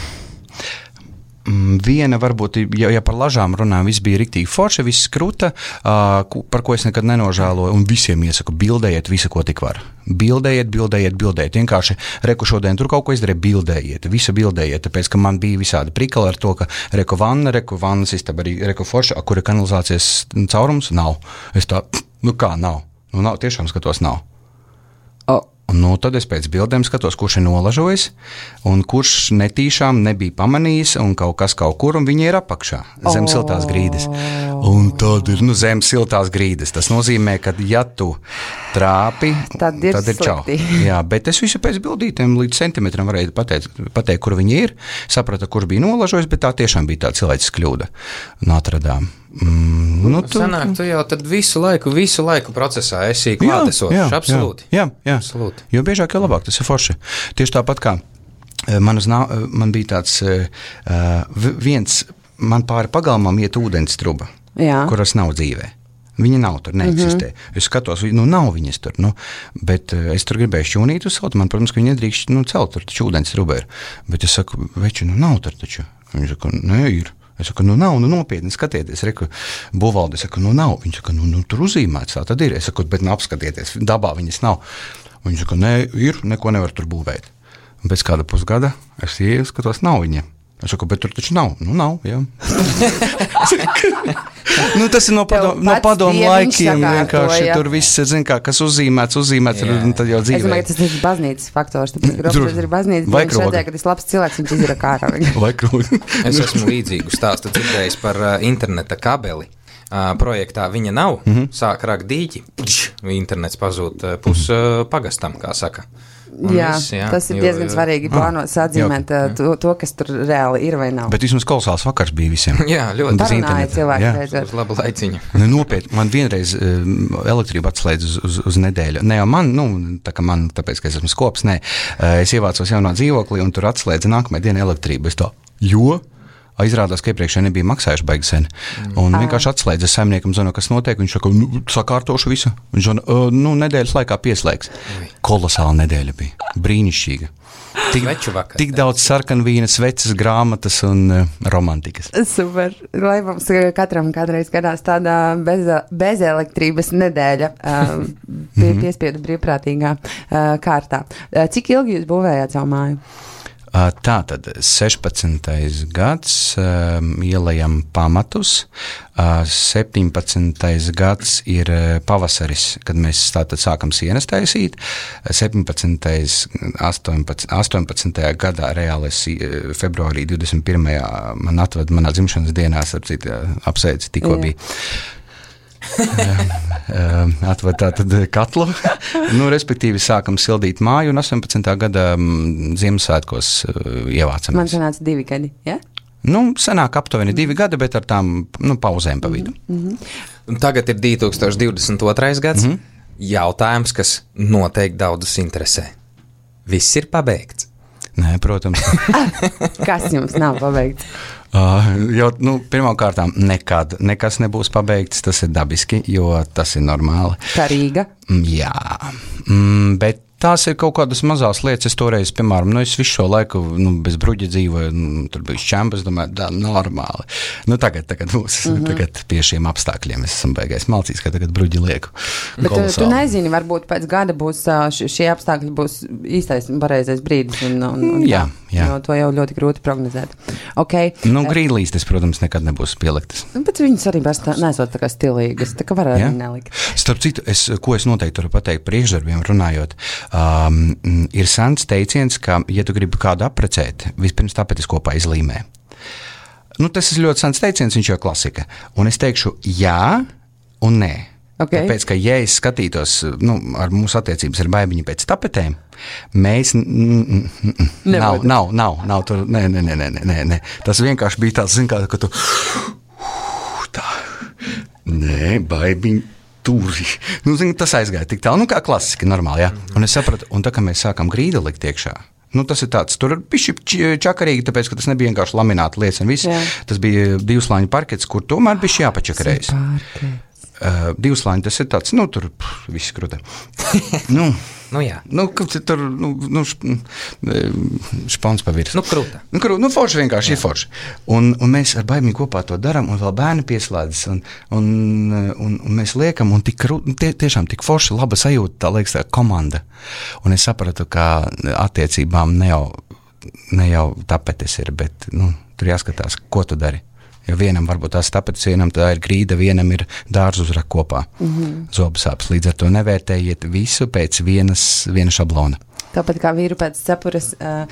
Viena varbūt, ja, ja par lažām runājam, viss bija riktīgi forši, viss kruta, uh, par ko es nekad nenožēloju, un visiem iesaku, bildējiet visu, ko tik var. Bildējiet, bildējiet, bildējiet. Vienkārši reku šodien tur kaut ko izdarīja, bildējiet, visu bildējiet, tāpēc, ka man bija visādi prikali ar to, ka reku vanna, reku vannas istaba arī reku forša, kur ir kanalizācijas caurums, nav. Es tā, nu kā nav? Nu nav, tiešām skatos nav. Oh. Nu, tad es pēc bildēm skatos, kurš ir nolažojis, un kurš netīšām nebija pamanījis, un kaut kas kaut kur, un viņi ir apakšā, zem oh. siltās grīdas. Un tad ir, nu, zem siltās grīdas. Tas nozīmē, ka, ja tu trāpi, tad ir, tad ir čau. Jā, bet es visu pēc bildītēm līdz centimetram varēju pateikt, pateikt, kur viņi ir, saprata, kurš bija nolažojis, bet tā tiešām bija tā cilvēces kļūda. Un atradām. Mm, nu, tu, Sanāk, tu jau tad visu laiku, visu laiku procesā esi klātesošs, absolūti. Jā, jā, absolūti. Jo biežāk, jo labāk, tas ir forši. Tieši tāpat kā man, uz, man bija tāds viens, man pāri pagalmam iet ūdens truba, jā. Kuras nav dzīvē. Viņa nav tur, neeksistē. Mm-hmm. Es skatos, nu nav viņas tur, nu, bet uh, es tur gribēju šķūnīt uzcelt, man, protams, ka viņi nedrīkst, nu, celt tur, taču ūdens truba ir. Bet es saku, veči, nu nav tur taču. Viņš saka, nē, ir. Es saku, nu nav, nu nopietni skatieties, reku, būvalde, es saku, nu nav. Viņš saka, nu, nu tur uzīmēts, tā tad ir. Es saku, bet nu apskatieties, dabā viņas nav. Viņš saka, nē, ir, neko nevar tur būvēt. Un pēc kāda pusgada es ieju, skatos, nav viņa. Es saku, bet tur taču nav. Nu, nav, jā. nu, tas ir no, padom, no padomu laikiem. Vienkārši tur viss ir, zin kā, kas uzzīmēts, uzzīmēts, ir, un tad jau dzīvē. Es domāju, ka tas ir baznīcas faktors. Tāpēc, ka Robs ir baznīcas, viņš redzēja, ka tas labs cilvēks, viņš izira kārā. Vai krogi. Es esmu līdzīgu stāstu dzirdējis par uh, interneta kabeli. Uh, projektā viņa nav, mm-hmm. sāk rakt dīķi, pš, internets pazūd uh, pus uh, pagastam, kā saka. Jā, viss, jā, tas ir diezgan jo, svarīgi plānot, sadzīmēt jā, jā. To, to, kas tur reāli ir vai nav. Bet vismaz kolosāls vakars bija visiem. Jā, ļoti. Parunāja cilvēki. Jā, uz labu laiciņu. Ne, nopietni, man vienreiz uh, elektrība atslēdz uz, uz, uz nedēļu. Ne jau man, nu, tā kā man, tāpēc, ka es esmu skops, nē. Uh, es ievācos jaunā dzīvoklī un tur atslēdza nākamajā dienā elektrību. Es tā, jo? Izrādās, ka iepriekšēji nebija maksājuši baigi sen. Un vienkārši atslēdza saimniekam, zinu, kas notiek. Viņš saka, nu, sakārtošu visu. Viņš zina, uh, nu, nedēļas laikā pieslēgs. Kolosāla nedēļa bija. Brīnišķīga. Tik, tik daudz sarkanvīnas, vecas grāmatas un uh, romantikas. Super. Lai mums katram kādreiz gadās tāda bez, bez elektrības nedēļa uh, pie, piespiedu brīvprātīgā uh, kārtā. Uh, cik ilgi jūs būvējāt savu māju? Tā tad sešpadsmitais gads um, ielējam pamatus, uh, septiņpadsmitais gads ir pavasaris, kad mēs tātad sākam sienas taisīt, septiņpadsmitais astoņpadsmitajā gadā reāli es februārī divdesmit pirmajā man atved manā dzimšanas dienā, apsveic tikko bija. Atved tātad katlu, nu, respektīvi sākam sildīt māju un astoņpadsmitā gada Ziemassvētkos ievācamies. Man sanāca divi gadi, ja? Nu, sanāk aptuveni divi gadi, bet ar tām, nu, pauzēm pa vidu. Mm-hmm. Un tagad ir divi tūkstoši divdesmit otrais gads. Mm-hmm. Jautājums, kas noteikti daudzus interesē. Viss ir pabeigts? Nē, protams. Kas jums nav pabeigts? Uh, jo, nu, pirmkārtām, nekad nekas nebūs pabeigts, tas ir dabiski, jo tas ir normāli. Kā Rīga? Jā, mm, bet tās ir kaut kādas mazās lietas. Es toreiz, piemēram, nu, es visu šo laiku nu, bez bruģa dzīvoju, nu, tur bija šķempas, domāju, tā normāli. Nu, tagad, tagad, mūs, mm-hmm. tagad pie šiem apstākļiem es esmu beigais malcīs, ka tagad bruģi lieku. Bet tu, tu nezini, varbūt pēc gada būs šie apstākļi būs īstais un pareizais brīdis. Un, un, un, jā, jā. Jo to jau ļoti grūti prognozēt. Okay. Nu, grīdlīstes, protams, nekad nebūs pieliktas. Bet viņas arī nesot tā kā stilīgas, tā kā var arī nelikt. Starp citu, es, ko es noteikti varu pateikt priekšdarbiem runājot, Um, ir sens teiciens, ka, ja tu gribi kādu apprecēt, vispirms tāpēc es kopā izlīmē. Nu, tas ir ļoti sens teiciens, viņš jau klasika. Un es teikšu jā un nē. Okay. Tāpēc, ka, ja es skatītos, nu, ar mūsu attiecības ar baibiņu pēc tapetēm, mēs, n- n- n- nav, nav, nav, nav tur, nē, nē, nē, nē, nē, nē. Tas vienkārši bija tāds, zin kā, ka tu, tā, nē, baibiņu. Tūri. Nu, zin, tas aizgāja tik tālu, nu, kā klasiski, normāli, jā. Un es sapratu, un tā, kā mēs sākam grīdu likt iekšā, nu, tas ir tāds, tur bišķi čakarīgi, tāpēc, ka tas nebija vienkārši lamināta lietas un viss. Jā. Tas bija divslāņu parkets, kur tomēr bišķi jāpačakarējas. Uh, divslāņi, tas ir tāds, nu, tur pff, viss krūta. nu, nu, jā. Nu, tur, nu, nu špons pa virs. Nu, krūta. Nu, krūta, nu, forši vienkārši jā. Ir forši. Un, un mēs ar baimī kopā to daram, un vēl bērni pieslēdzas, un, un, un, un mēs liekam, un tik krūta, tie, tiešām tik forši, laba sajūta, tā liekas tā komanda. Un es sapratu, ka attiecībām ne jau, ne jau tapetes ir, bet, nu, tur jāskatās, ko tu dari. Jo vienam varbūt tās tapetes, vienam tā ir grīda, vienam ir dārzu uzrak kopā. Mm-hmm. Zobsāpes. Līdz ar to nevērtējiet visu pēc vienas, viena šablona. Tāpat kā vīru pēc cepures, uh,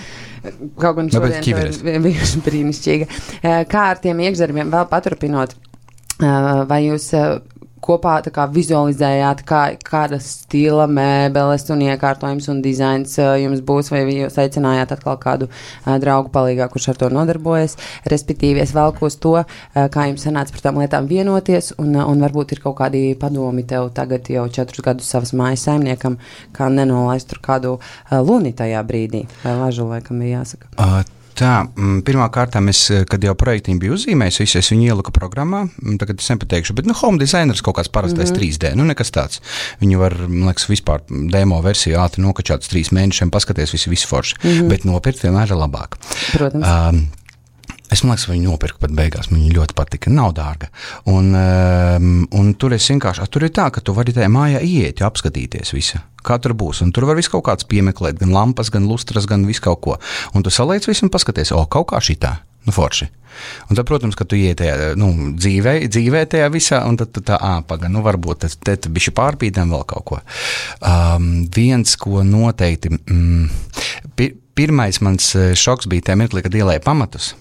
kaut gan šodien to ir brīnišķīga. Uh, kā ar tiem iekšdarbiem vēl paturpinot, uh, vai jūs uh, kopā tā kā vizualizējāt, kā, kāda stila mēbeles un iekārtojums un dizains uh, jums būs, vai jūs aicinājāt atkal kādu uh, draugu palīgā, kurš ar to nodarbojas, respektīvi es velku uz to, uh, kā jums sanāca par tām lietām vienoties, un, uh, un varbūt ir kaut kādi padomi tev tagad jau četrus gadus savas mājas saimniekam, kā nenolaist tur kādu uh, luni tajā brīdī, vai lažu, laikam ir jāsaka. Uh. Tā, pirmā kārtā, es, kad jau projektīm biju uzzīmējis, visu, es viņu ieliku programmā, tagad es nepateikšu, bet, nu, home designers kaut kāds parastais mm-hmm. trīs D, nu, nekas tāds. Viņu var, man liekas, vispār demo versiju ātri nokačāts trīs mēnešiem, paskaties, visi, visi forši, mm-hmm. bet nopirkt vienmēr ir labāk. Protams. Um, Es man liekas, viņu nopirku pat beigās, man viņa ļoti patika, nav dārga. Un, um, un tur es vienkārši, tur ir tā, ka tu vari tajā mājā iet, apskatīties visu, kā tur būs. Un tur var visu kaut kāds piemeklēt, gan lampas, gan lustras, gan visu kaut ko. Un tu saliec visu un paskaties, o, kaut kā šitā, nu forši. Un tad, protams, ka tu iet tajā, nu, dzīvē, dzīvē tajā visā, un tad tu tā, ā, paga, nu, varbūt te, te, te bišķi pārpīdam vēl kaut ko. Um, viens, ko noteikti, mm, pir, pirmais mans šoks bija tajā mirklī, kad ielēja pamatus.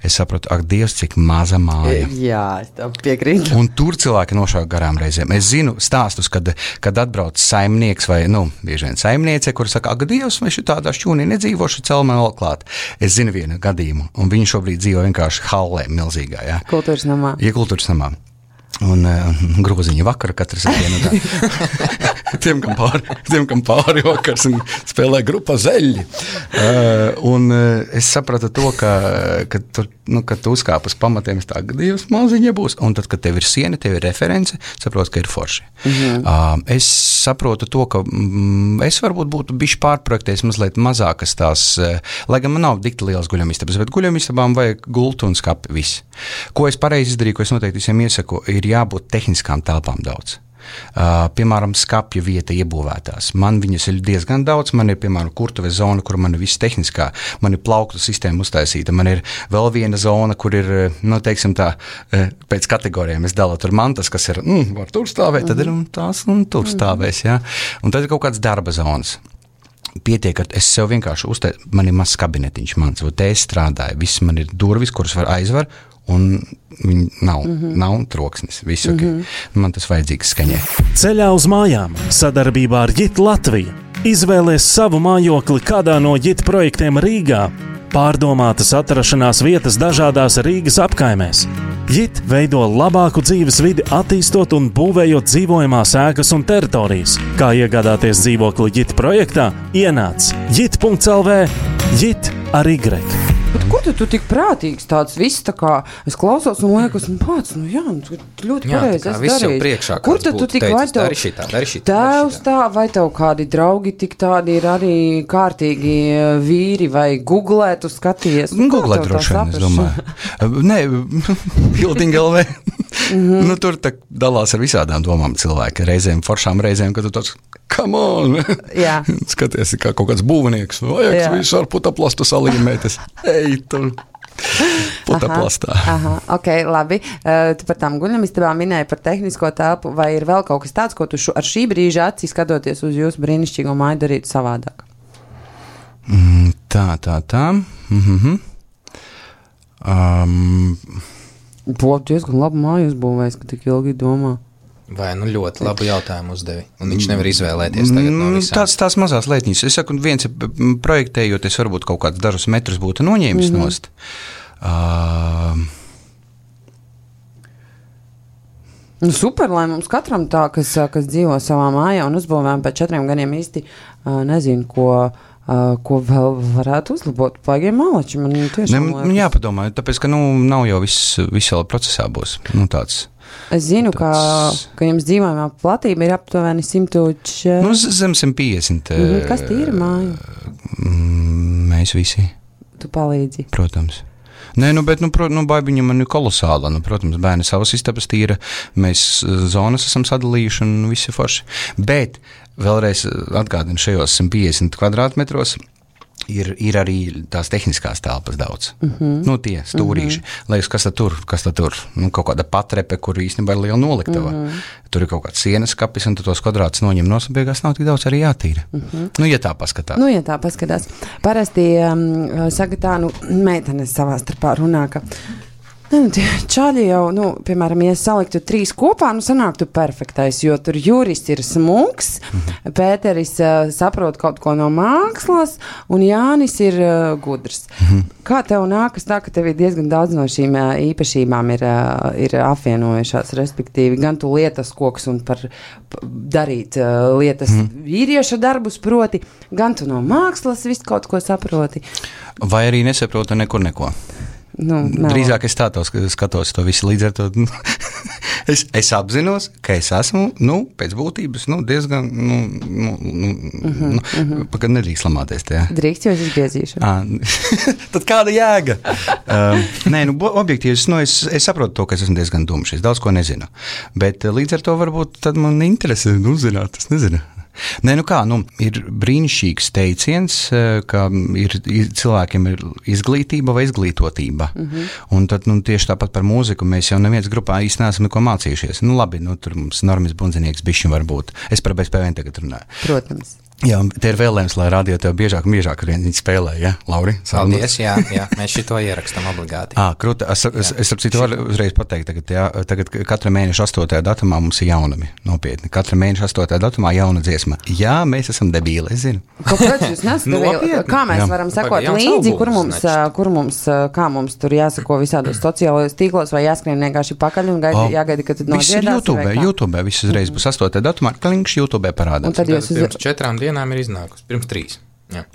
Es sapratu, ak, Dievs, cik maza māja. Jā, es tev piekrītu. Un tur cilvēki nošauja garām reizēm. Es zinu stāstus, kad, kad atbrauc saimnieks vai, nu, bieži vien saimniece, kur saka, ak, Dievs, mēs tādā šķūnī nedzīvošu, cel man vēl klāt. Es zinu vienu gadījumu, un viņi šobrīd dzīvo vienkārši hallē milzīgā, jā. Kultūras namā. Ja, kultūras namā. Un uh, groziņa vakara katrs dienu tā. tiem, kam pāri, tiem, kam pāri vakars un spēlē grupā zeļi. Uh, un uh, es sapratu to, ka, ka tu, nu, kad tu uzkāp uz pamatiem, es tā, Dievs, maziņa būs. Un tad, kad tev ir siena, tev ir reference, saprotu, ka ir forši. Mm-hmm. Uh, es saprotu to, ka mm, es varbūt būtu bišķi pārprojektējis mazliet mazākas tās, uh, lai gan man nav dikti liels guļamistabas, bet guļamistabām vajag gultu un skapi, viss. Ko es pareizi izdarīju, ko es noteikti visiem iesaku, ir jābūt tehniskām telpām daudz. Uh, piemēram, skapja vieta iebūvētās. Man viņas ir diezgan daudz. Man ir, piemēram, kurtuves zona, kur man ir viss tehniskā. Man ir plauktu sistēma uztaisīta. Man ir vēl viena zona, kur ir, nu, teiksim tā, pēc kategorijām es dalu tur mantas, kas ir, mm, var tur stāvēt, tad ir un tās un tur stāvēs, jā. Un tad ir kaut kāds darba zonas. Pietiek, ka es sev vienkārši uzteicu, man ir mazs kabinetiņš mans, un te es strādāju, viss man ir durvis, kuras var aizvar, un viņi nav, mm-hmm. nav troksnis. Viss ok. Mm-hmm. Man tas vajadzīgs skaņai. Ceļā uz mājām sadarbībā ar Jit Latviju. Izvēlies savu mājokli kādā no Jit projektiem Rīgā. Pārdomātas atrašanās vietas dažādās Rīgas apkaimēs. Jit veido labāku dzīves vidi, attīstot un būvējot dzīvojamās ēkas un teritorijas. Kā iegādāties dzīvokli Jit projektā? Ienāc jit punkts el vē, Jit ar Y. Bet kur tu, tu tik prātīgs tāds viss tā kā, es klausos un liekas, nu pats, nu jā, nu, ļoti Jā, pareizi tā kā es viss jau darīju. priekšā Kur kāds tad tu būtu tik teicis, vai tev dari šitā, dari šitā, dari tēvs šitā. tā, vai tev kādi draugi tik tādi ir arī kārtīgi vīri, vai googlē tu skaties? Nu, kā Googlē tev tā droši vien, es saprast? domāju. Nē, Building el vē. Mm-hmm. Nu, tur tā dalās ar visādām domām cilvēki. Reizēm foršām, reizēm, kad tu tāds, come on! Jā. Skaties, kā kaut kāds būvnieks. Vajag Jā. visu ar putaplastu salīmēties. Ej, tur! Putaplastā. Aha, ok, labi. Uh, tu par tām guļamistabām minēji par tehnisko telpu, vai ir vēl kaut kas tāds, ko tu šo, ar šī brīža acī skatoties uz jūsu brīnišķīgo māju darītu savādāk? Mm, tā, tā, tā. Mm-hmm. Um, Būtu diezgan labu māju uzbūvējis, ka tik ilgi domā. Vai nu ļoti labu jautājumu uzdevi, un viņš nevar izvēlēties tagad no visām. Tās, tās mazās lietiņas. Es saku, viens ir projektējoties, varbūt kaut kādus dažus metrus būtu noņēmis mm-hmm. nost. Uh, Nu, super, lai mums katram tā, kas, kas dzīvo savā mājā un uzbūvējam pēc četriem gadiem īsti uh, nezinu, ko, uh, ko vēl varētu uzlabot. Paigiem malači, man tiešām ne, man jāpadomā, tāpēc, ka nu, nav jau viss, viss vēl procesā būs. Nu, tāds. Es zinu, tāds... ka, ka jums dzīvojamā platība ir aptuveni simt četrdesmit. Nu, zem simt piecdesmit. Mm-hmm. Kas tīra māja? Mēs visi. Tu palīdzi. Protams. Nē, nu, bet, nu, pro, nu, baibiņa man ir kolosāla. Nu, protams, bērni savas istabas tīra, mēs zonas esam sadalījuši un visi forši. Bet vēlreiz atgādinu, šajos simt piecdesmit kvadrātmetros ir, ir arī tās tehniskās telpas daudz. Mm-hmm. Nu, tie stūrīši. Mm-hmm. Liekas, kas tad tur, kas tad tur? Nu, kaut kāda patrepe, kur īstenībā ir liela noliktava. Mm-hmm. Tur ir kaut kāds sienas kapis, un tu tos kvadrātus noņem nos, un beigās nav tik daudz arī jātīra. Mm-hmm. Nu, ja tā paskatās. Nu, ja tā paskatās. Parasti um, saka tā, nu, meitenes savā starpā runā, ka nu, čaļi jau, nu, piemēram, ja saliktu trīs kopā, nu, sanāktu perfektais, jo tur Juris ir smūgs, mm-hmm. Pēteris uh, saprot kaut ko no mākslas, un Jānis ir uh, gudrs. Mm-hmm. Kā tev nākas tā, ka tev ir diezgan daudz no šīm uh, īpašībām ir, uh, ir apvienojušās, respektīvi, gan tu lietas koks un par p- darīt uh, lietas mm-hmm. vīrieša darbus proti, gan tu no mākslas visu kaut ko saproti. Vai arī nesaprota nekur neko? Nu, drīzāk es tā to skatos to visu līdz ar to. es, es apzinos, ka es esmu, nu, pēc būtības, nu, diezgan, nu, nu, nu, mm-hmm, nu mm-hmm. Pagad nedrīkst lamāties tajā. Drīkst, jo es izgriezīšu. Tad kāda jēga? um, nē, nu, objektīvi, nu, es, es saprotu to, ka es esmu diezgan dumšs, es daudz ko nezinu. Bet līdz ar to varbūt tad man interesē, nu, zināt, es nezinu. Nē, nu kā, nu, ir brīnišķīgs teiciens, ka ir, ir, cilvēkiem ir izglītība vai izglītotība. Mm-hmm. Un tad, nu, tieši tāpat par mūziku mēs jau neviens grupā īsti neesam neko mācījušies. Nu, labi, nu, tur mums Normis Bundzinieks bišķiņ var būt. Es par B S P V tagad runāju. Protams. Jā, te ir vēlējums, lai radio tev biežāk un biežāk viņi spēlē, ja, Lauri? Paldies, jā, jā, mēs šito ierakstam obligāti. Ā, krūta, es, es, es ap citu varu uzreiz pateikt, tagad, jā, tagad katra mēneša astotajā datumā mums ir jaunumi, nopietni. Katra mēneša astotajā datumā jauna dziesma. Jā, mēs esam debīli, es zinu. Kāpēc jūs nesat debīli? Kā mēs jā. varam sekot līdzi, kur mums, kur mums, kā mums tur jāsako visādos sociālajos tīklos vai jāskrien vienkārši pakaļ un gaidi, jāgaida, ka tad nodziedās? YouTube, YouTube, viss uzreiz būs astotajā datumā, kliņš YouTube parādās. Pirms četrām dienām ir iznākusi, pirms trīs.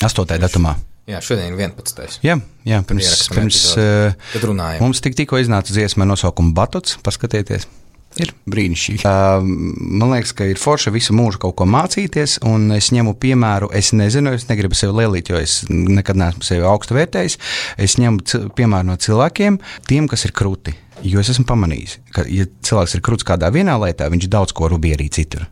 astotajā datumā. Jā, šodien ir vienpadsmitais. Jā, jā, pirms, pirms uh, mums tik tikko iznāca dziesma nosaukumu Batots, paskatieties. Ir brīnišķīgi. Uh, man liekas, ka ir forša visu mūžu kaut ko mācīties, un es ņemu piemēru, es nezinu, es negribu sevi lielīt, jo es nekad neesmu sevi augstu vērtējis. Es ņemu c- piemēru no cilvēkiem, tiem, kas ir kruti. Jo es esmu pamanījis, ka, ja cilvēks ir kruts kādā vienā lietā, viņš daudz ko rubi arī citur.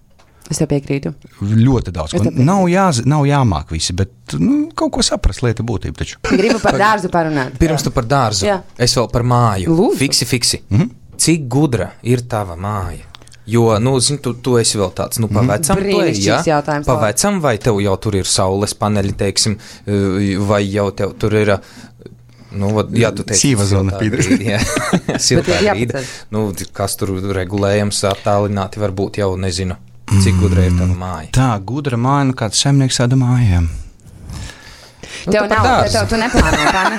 Es tev piekrītu. Ļoti daudz. Nav, jā, nav jāmāk visi, bet nu, kaut ko saprast lieta būtība taču. Gribu par dārzu parunāt. Pirms tu par dārzu. Jā. Es vēl par māju. Lūdzu. Fiksi, fiksi. Mhm. Cik gudra ir tava māja? Jo, nu, zini, tu, tu esi vēl tāds, nu, pavecam, tu esi, ja? Pavecam, vai tev jau tur ir saules paneļi, teiksim, vai jau tev tur ir, Nu, ja tu teici, Sīva zona brīdi, jā. Siltā Bet ir brīdi. jāpacēl. Nu, kas tur regulējams attālināti varbūt jau nezinu, cik gudra ir tava māja. Tā, gudra māja, nu kāds saimnieks tāda mājām. Nu, Tev tu par nav, dārzu. tev tu neplāno, kā ne?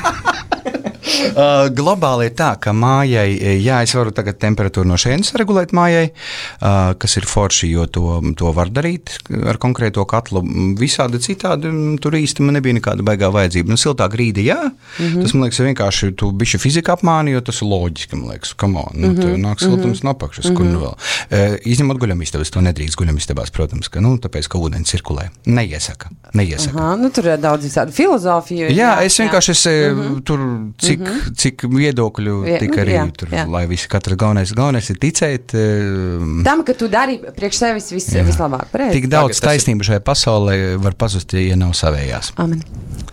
Uh, globāli ir tā, ka mājai, jā, es varu tagad temperatūru no šejienes regulēt mājai, uh, kas ir forši, jo to, to var darīt ar konkrēto katlu. Visādi citādi tur īsti man nebija nekāda baigā vajadzība. Nu, siltā grīda, jā, mm-hmm. tas, man liekas, vienkārši tu bišķi fizika apmāni, jo tas ir loģiski, man liekas, come on, nu, mm-hmm. nāk siltums mm-hmm. napakšas, mm-hmm. kur nu vēl. Uh, izņemot guļamistabas, to nedrīkst guļamistabās, protams, ka, nu, tāpēc, ka ūdens cirkulē. Neiesaka, neiesaka. Aha, nu tur ir daudz visādi filozofiju. Jā, es vienkārši es, Mhm. tur, cik, mm-hmm. cik viedokļu Vie- tika arī jā, tur, jā. lai visi katrs galvenais, galvenais ir ticēt. um, Tam, ka tu dari priekš sevis vis, vislabāk. Pareizi. Tik daudz Tagad tas ir- taisnību šajā pasaulē var pazust, ja nav savējās. Amen.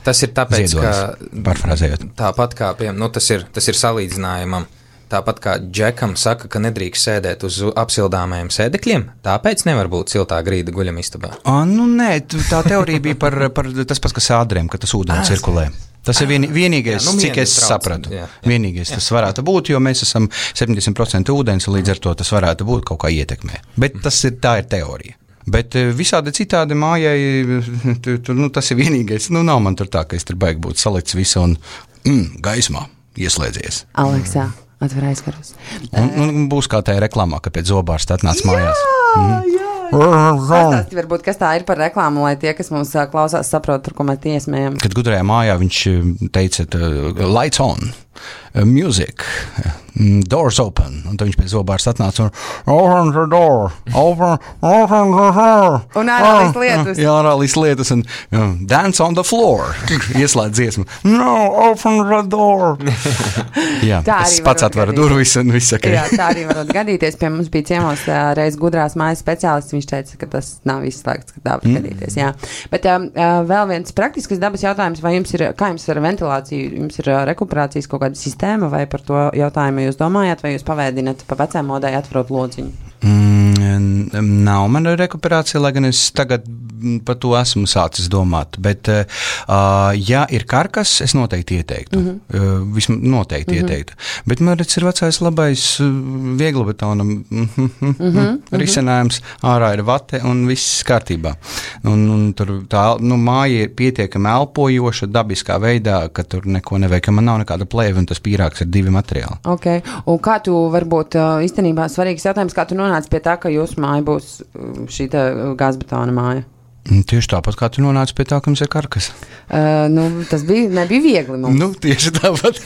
Tas ir tāpēc, Ziedonis, ka parafrāzējot. tāpat kā, piemēram, nu, tas ir, tas ir salīdzinājumam. Tāpat kā Džekam saka, ka nedrīkst sēdēt uz apsildāmajiem sēdekļiem, tāpēc nevar būt siltā grīda guļamistabā. A, nu nē, tu- tā teorija bija par, par tas pats, kas ādrēm, ka tas ūdens cirkulē. Tas ir vien, vienīgais, Jā, nu, cik es miega sapratu. trauc, jā, jā. Vienīgais tas varētu būt, jo mēs esam septiņdesmit procenti ūdens, un līdz ar to tas varētu būt kaut kā ietekmē. Bet tas ir, tā ir teorija. Bet eh, visādi citādi mājai, tu, tu, nu, tas ir vienīgais. Nu, nav man tur tā, ka es tur baigi būt salikts visu un mm, gaismā ieslēdzies. Aleksā, atver aizkarus. Un, un būs kā tajā reklāmā, ka pēc zobārsta atnāc mājās. Pastāsti varbūt, kas tā ir par reklāmu, lai tie, kas mums ā, klausās, saprot, par ko mēs tiesmējam. Kad gudrajā mājā viņš eh, teica, tā, lights on, uh, music, mm, doors open. Un tad viņš pēc zobārsta atnāca un open the door, open, open the door. Un ārā līdz lietus. Jā, ārā līdz lietus un jā, dance on the floor. Ieslēdz dziesmu. No, open the door. Jā, Tā es arī pats var atveru gadīties. durvis un viss saka. Jā, tā arī var gadīties. Pie mums bija ciemos ā, reiz gudrās mājas speciālists. Viņš teica, ka tas nav izslēgts, ka tā var gadīties. Jā. Bet um, vēl viens praktisks dabas jautājums, vai jums ir, kā jums ar ventilāciju, jums ir ā, rekuperācijas kaut kāda sistēma, vai par to jautājumu jūs domājat, vai jūs pavēdinat pa vecām modai atverot lodziņu? Mm, nav mana rekuperācija, lai gan es tagad mm, par to esmu sācis domāt. Bet, uh, ja ir karkas, es noteikti ieteiktu. Mm -hmm. uh, Vismaz noteikti mm -hmm. ieteiktu. Bet man redz, ir vecais labais uh, vieglobetona mm -hmm, mm -hmm, risinājums. Ārā ir vate un viss kārtībā. Un, un tur tā nu, māja ir pietiekami elpojoša, dabiskā veidā, ka tur neko nevajag, ka man nav nekāda plēve un tas pīrāgs ir divi materiāli. Okay. Un kā tu varbūt ā, īstenībā svarīgs jautājums, kā tu nonāci pie tā, ka jūsu māja būs ā, šī tā gāzbetona māja? Un tieši tāpat, kā tu nonāci pie tā, ka mums ir karkas. Uh, nu, tas bija, nebija viegli mums. Nu, tieši tāpat.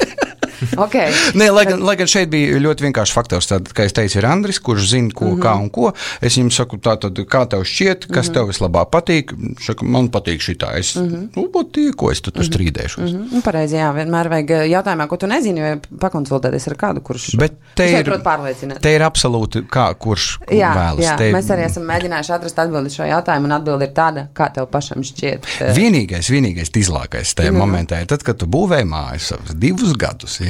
Okay. Nē, lai gan, lai gan šeit bija ļoti vienkāršs faktors. Tad, kā es teicu, ir Andris, kurš zina, ko, mm -hmm. kā un ko. Es viņam saku, tā, tad, kā tev šķiet, kas mm -hmm. tev vislabāk patīk. Saka, man patīk šitā. Es mm -hmm. nu, patīk, ko es tu tur strīdēšos. Mm -hmm. Nu, pareizi, jā, vienmēr vajag jautājumā, ko tu nezini, vai pakonsultēties ar kādu, kurš Bet te kurš ir, prot pārliecināt. te ir absolūti, kā, kurš Jā, vēlas. jā. Te, Mēs arī esam mēģinājuši atrast atbildi šo jautājumu, un atbildi ir tāda, kā tev pašam šķiet. Vienīgais, vienīgais izlākais tajā Jā. momentā ir tad, kad tu būvēji mājas savus divus gadus, ja?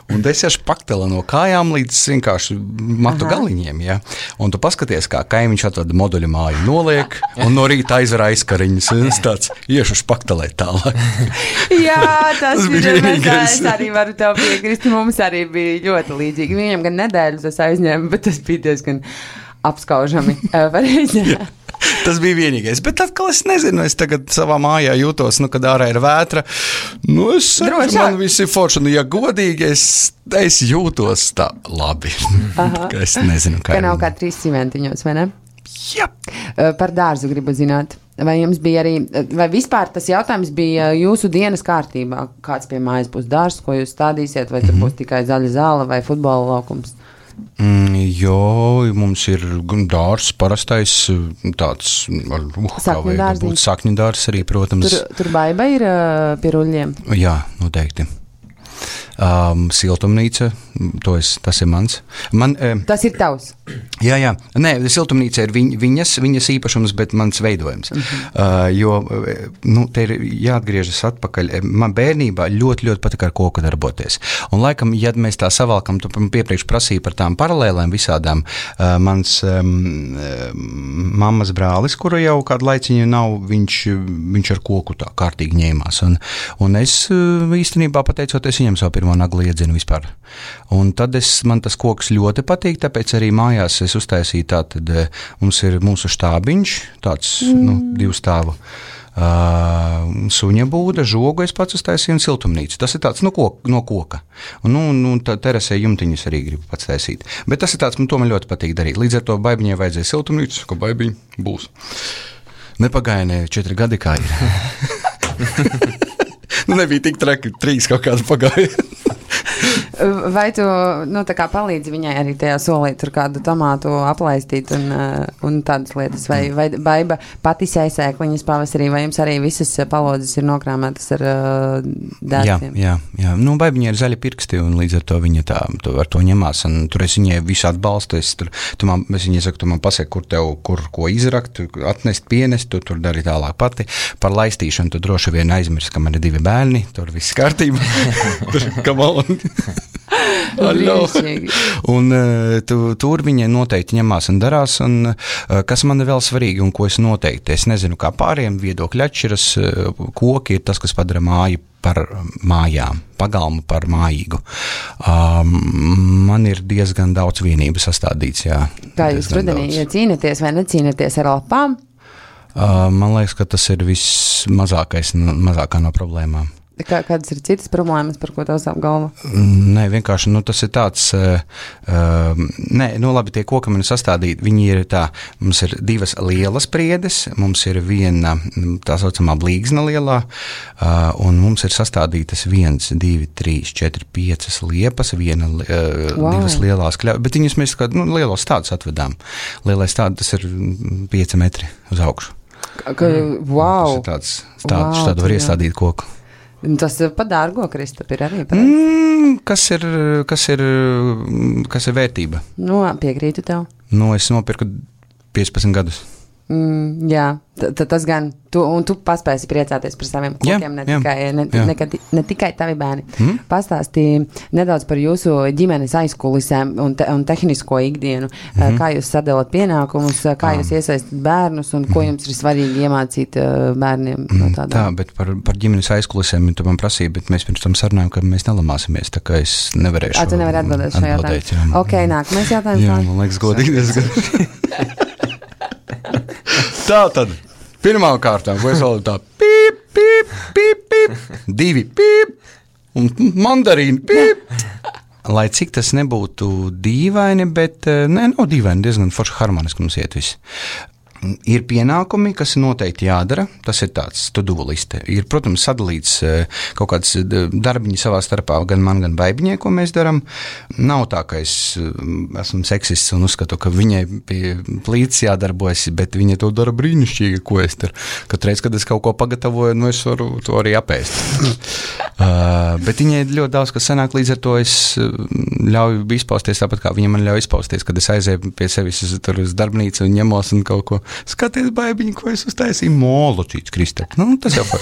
Un es ešu paktela no kājām līdz vienkārši matu Aha. galiņiem, ja? Un tu paskaties, kā kaimiņš atvada moduļu māju, noliek, un no rīta aizver aizkariņus, un es tāds iešu špaktelēt tālāk. Jā, tas, Tas ir. bija Mēs, vienīgais. es arī varu tev piekrist. Mums arī bija ļoti līdzīgi. Viņam gan nedēļas es aizņēmu, bet tas bija diezgan apskaužami. Pareizi. Tas bija vienīgais. Bet atkal es nezinu, es tagad savā mājā jūtos, nu, kad ārā ir vētra. Nu, es saku, Drošāk. man viss ir forši. Nu, ja godīgi, es, es jūtos tā labi. Ka es nezinu, kā Ka ir. nav kā trīs cimentiņos, vai ne? Jā. Uh, Par dārzu gribu zināt. Vai jums bija arī, vai vispār tas jautājums bija jūsu dienas kārtībā? Kāds pie mājas būs dārzs, ko jūs stādīsiet, vai tur būs tikai zaļa zāle vai futbola laukums? Mm, jo, mums ir gan dārzs, parastais tāds, ar, uh, kā Sakņu vajag dārziņš. būt, sakņu dārzs arī, protams. Tur, tur baiba ir uh, pie ruļļiem. Jā, noteikti. Um, siltumnīca, to es, tas ir mans. Man, um, Tas ir tavs. Jā, jā. Nē, siltumnīca ir viņ, viņas, viņas īpašums, bet mans veidojums. Uh-huh. Uh, jo, nu, te ir jāatgriežas atpakaļ. Man bērnībā ļoti, ļoti patika ar koku darboties. Un laikam, ja mēs tā savalkam, tu piepriekš prasīja par tām paralēlēm visādām, uh, mans um, mammas brālis, kuru jau kādu laiciņu nav, viņš, viņš ar koku tā kārtīgi ņēmās. Un, un es uh, īstenībā pateicoties viņam savu pirmo naglu iedzinu vispār. Un tad es, man tas koks ļoti patīk, tāpēc arī mājās es uztaisīju tātad, mums ir mūsu štābiņš, tāds, mm. nu, divu stāvu. Uh, suņa būda, žogu es pats uztaisīju un siltumnīcu. Tas ir tāds no koka. No koka. Un, nu, nu, terasē jumtiņus arī gribu pats taisīt. Bet tas ir tāds, man to man ļoti patīk darīt. Līdz ar to baibiņai vajadzēja siltumnīcu, ka baibiņa būs. Nepagāja ne četri gadi kā ir. Nu, nebija tik traki, trīs kaut kādi pagāja. Vai tu, nu, tā kā palīdzi viņai arī tajā solīt tur kādu tomātu aplaistīt un, un tādas lietas, vai, vai baiba pati sēsēkliņas pavasarī, vai jums arī visas palodzes ir nokrāmētas ar uh, dētiem? Jā, jā, jā. Nu, baibiņai ir zaļi pirksti, un līdz ar to viņa tā, tu ar to ņemās, un tur es viņai visu atbalstu, es tur, tu man, es viņai saku, tu man pasaki, kur tev, kur ko izrakt, atnest, pienest, tu tur dari tālāk pati. Par laistīšanu tu droši vien aizmirst, ka man ir divi bērni, tur viss kārtībā. Tur, come on. Un tu, tur viņa noteikti ņemās un darās, un kas man ir vēl svarīgi un ko es noteikti, es nezinu, kā pāriem viedokļi atšķiras, koki ir tas, kas padara māju par mājām, pagalmu par mājīgu. Um, man ir diezgan daudz vienību sastādīts, jā. Kā jūs rudenī ja cīnaties vai necīnaties ar lapām? Uh, man liekas, ka tas ir vismazākais, mazākā no problēmām. Kā, kādas ir citas problēmas, par ko tev sāp galva? Nē, vienkārši, nu, tas ir tāds, uh, uh, nē, nu, labi, tie koki man ir sastādīti, viņi ir tā, mums ir divas lielas priedes, mums ir viena, tā saucamā blīgzna lielā, uh, un mums ir sastādītas viens, divi, trīs, četri, piecas liepas, viena, uh, wow. divas lielās kļavas, bet viņus mēs kā, nu, lielos stādus atvedām. Lielais stāds, tas ir pieci metri uz augšu. Ka, wow! Tas ir tāds stādus, wow, tādu var iestādīt koku. Tas pa dārgo, Kristap, ir arī pareizi. Mm, kas ir, kas ir, kas ir vērtība? Nu, piekrītu tev. Nu, es nopirku piecpadsmit gadus. Mm, jā, tad tas gan, tu, un tu paspēsi priecāties par saviem kokiem, ne, tikai, ne, ne, ne tikai tavi bērni. Mm? Pastāstīja nedaudz par jūsu ģimenes aizkulisēm un, te, un tehnisko ikdienu, mm-hmm. kā jūs sadalat pienākumus, kā jūs iesaistat bērnus un ko jums ir svarīgi iemācīt bērniem no tādā. Tā, bet par, par ģimenes aizkulisēm tu man prasīja, bet mēs pirms tam sarunājam, ka mēs nelamāsimies, tā kā es nevarēšu. A, tu nevari atbildēt šo jautājumu. Ok, nākamais jautājums. Jā, man liekas godīgi diezgan. Tā tad, pirmām kārtām, ko es vēl tā pīp, pīp, pīp, pīp, divi pīp, un mandarīni pīp. Lai cik tas nebūtu dīvaini, bet, nē, nav dīvaini, diezgan forši harmoniski mums iet visi. Ir pienākumi, kas noteikti jādara, tas ir tāds to-do liste. Ir, protams, sadalīts kaut kāds darbiņi savā starpā, gan man, gan baibiņai, ko mēs daram. Nav tā, ka es esmu seksists un uzskatu, ka viņai pie plīts jādarbojas, bet viņa to dara brīnišķīgi, ko es tur. Katreiz, kad es kaut ko pagatavoju, nu es varu to arī apēst. uh, bet viņai ļoti daudz, kas sanāk, līdz ar to es ļauju izpausties tāpat, kā viņa man ļauj izpausties, kad es aizēju pie sevis tur uz darbnīcu un ņemos un kaut ko. Skaties, baibiņi, ko es uztaisīju. Molocīts, Kristap. Nu, tas jau par...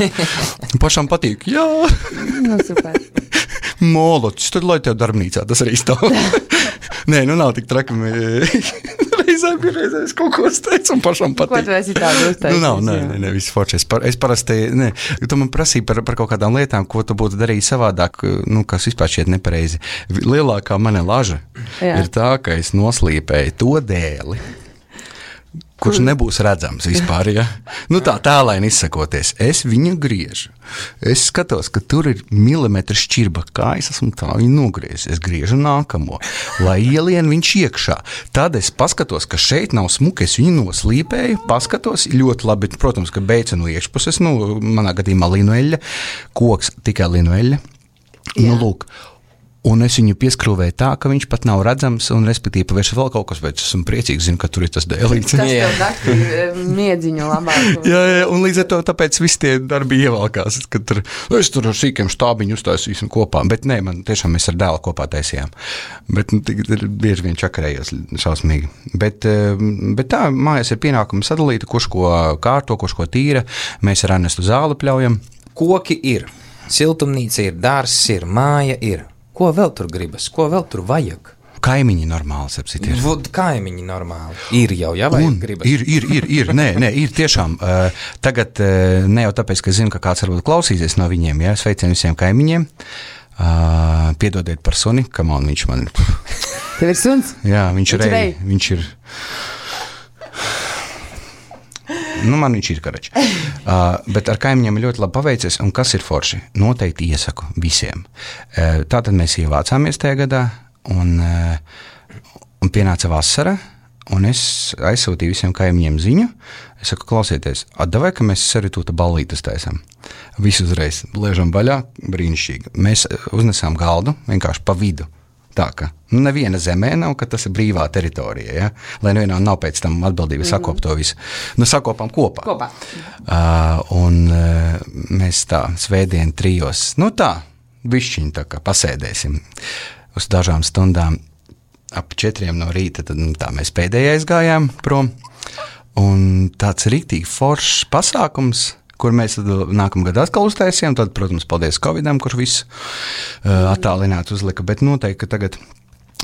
pašam patīk. Jā. Nu, super. Molocīts. Tad lai tev darbnīcā tas arī stāv. Nē, nu nav tik traki. Reizēm, reizēm es kaut ko uzteicu un pašam patīk. Ko tu esi tādu uzteicis? Nu nav, nē, nē, nē, viss forši. Es, par, es parasti, nē, tu man prasīji par, par kaut kādām lietām, ko tu būtu darījis savādāk, nu, kas vispār šķiet nepareizi. Lielākā mana laža Jā. ir tā, ka es noslīpēju to dēli, kurš nebūs redzams vispār, ja? Nu tā tālaini izsakoties. Es viņu griežu. Es skatos, ka tur ir milimetra šķirba, kā es esmu tā viņu nogriezis. Es griežu nākamo, lai ielien viņš iekšā. Tad es paskatos, ka šeit nav smuki, es viņu noslīpēju, paskatos ļoti labi, protams, ka beidzu no iekšpuses, nu, manā gadījumā linueļa, koks tikai linueļa. Nu, lūk, Un es viņu pieskrūvēju tā, ka viņš pat nav redzams, un respektīvi pavērš vēl kaut kas, bet esmu priecīgs, zinu, ka tur ir tas dēlīts. Tas tev naktī miedziņu labāk. jā, jā, un līdz ar to tāpēc visi tie darbi ievalkās, ka tur, es tur ar sīkiem štābiņu uztaisīsim kopā, bet nē, man tiešām mēs ar dēlu kopā taisījām. Bet nu, bieži vien čakarējos šausmīgi. Bet, bet tā, mājās ir pienākumi sadalīti, kurš ko kārto, kurš ko tīra, mēs ar Ernestu zāli pļaujam. Koki ir, siltumnīca ir, dārs ir, māja ir. Ko vēl tur gribas? Ko vēl tur vajag? Kaimiņi normāli, sapsit, ir. Vod, kaimiņi normāli. Ir jau, jā, vai Un gribas? Ir, ir, ir, ir, nē, nē, ir tiešām. Uh, tagad uh, ne jau tāpēc, ka zinu, ka kāds varbūt klausīsies no viņiem, jā, sveicien visiem kaimiņiem. Uh, piedodiet par suni, kam on viņš man... Tev ir suns? Jā, viņš, Viņš ir, rej. viņš ir... Nu, man viņš ir karačs. Uh, bet ar kaimiņiem ir ļoti labi paveicies, un kas ir forši? Noteikti iesaku visiem. Uh, tātad mēs ievācāmies tajā gadā, un, uh, un pienāca vasara, un es aizsūtīju visiem kaimiņiem ziņu. Es saku, klausieties, atdavai, ka mēs saritūta ballītes taisam. Visu uzreiz liežam vaļā, brīnišķīgi. Mēs uznesām galdu vienkārši pa vidu. Tā, ka nu, neviena zemē nav, ka tas ir brīvā teritorija, ja? Lai nevienam nav pēc tam atbildība mm-hmm. sakop to visu. Nu, sakopām kopā. Kopā. Uh, un uh, mēs tā svētdien trijos, nu tā, bišķiņ tā kā pasēdēsim uz dažām stundām ap četriem no rīta, tad nu, tā mēs pēdējais gājām prom. Un tāds riktīgi foršs pasākums, kur mēs nākamgad atkal uztaisījām, tad, protams, paldies Covidam, kurš visu uh, attālināt uzlika, bet noteikti, ka tagad,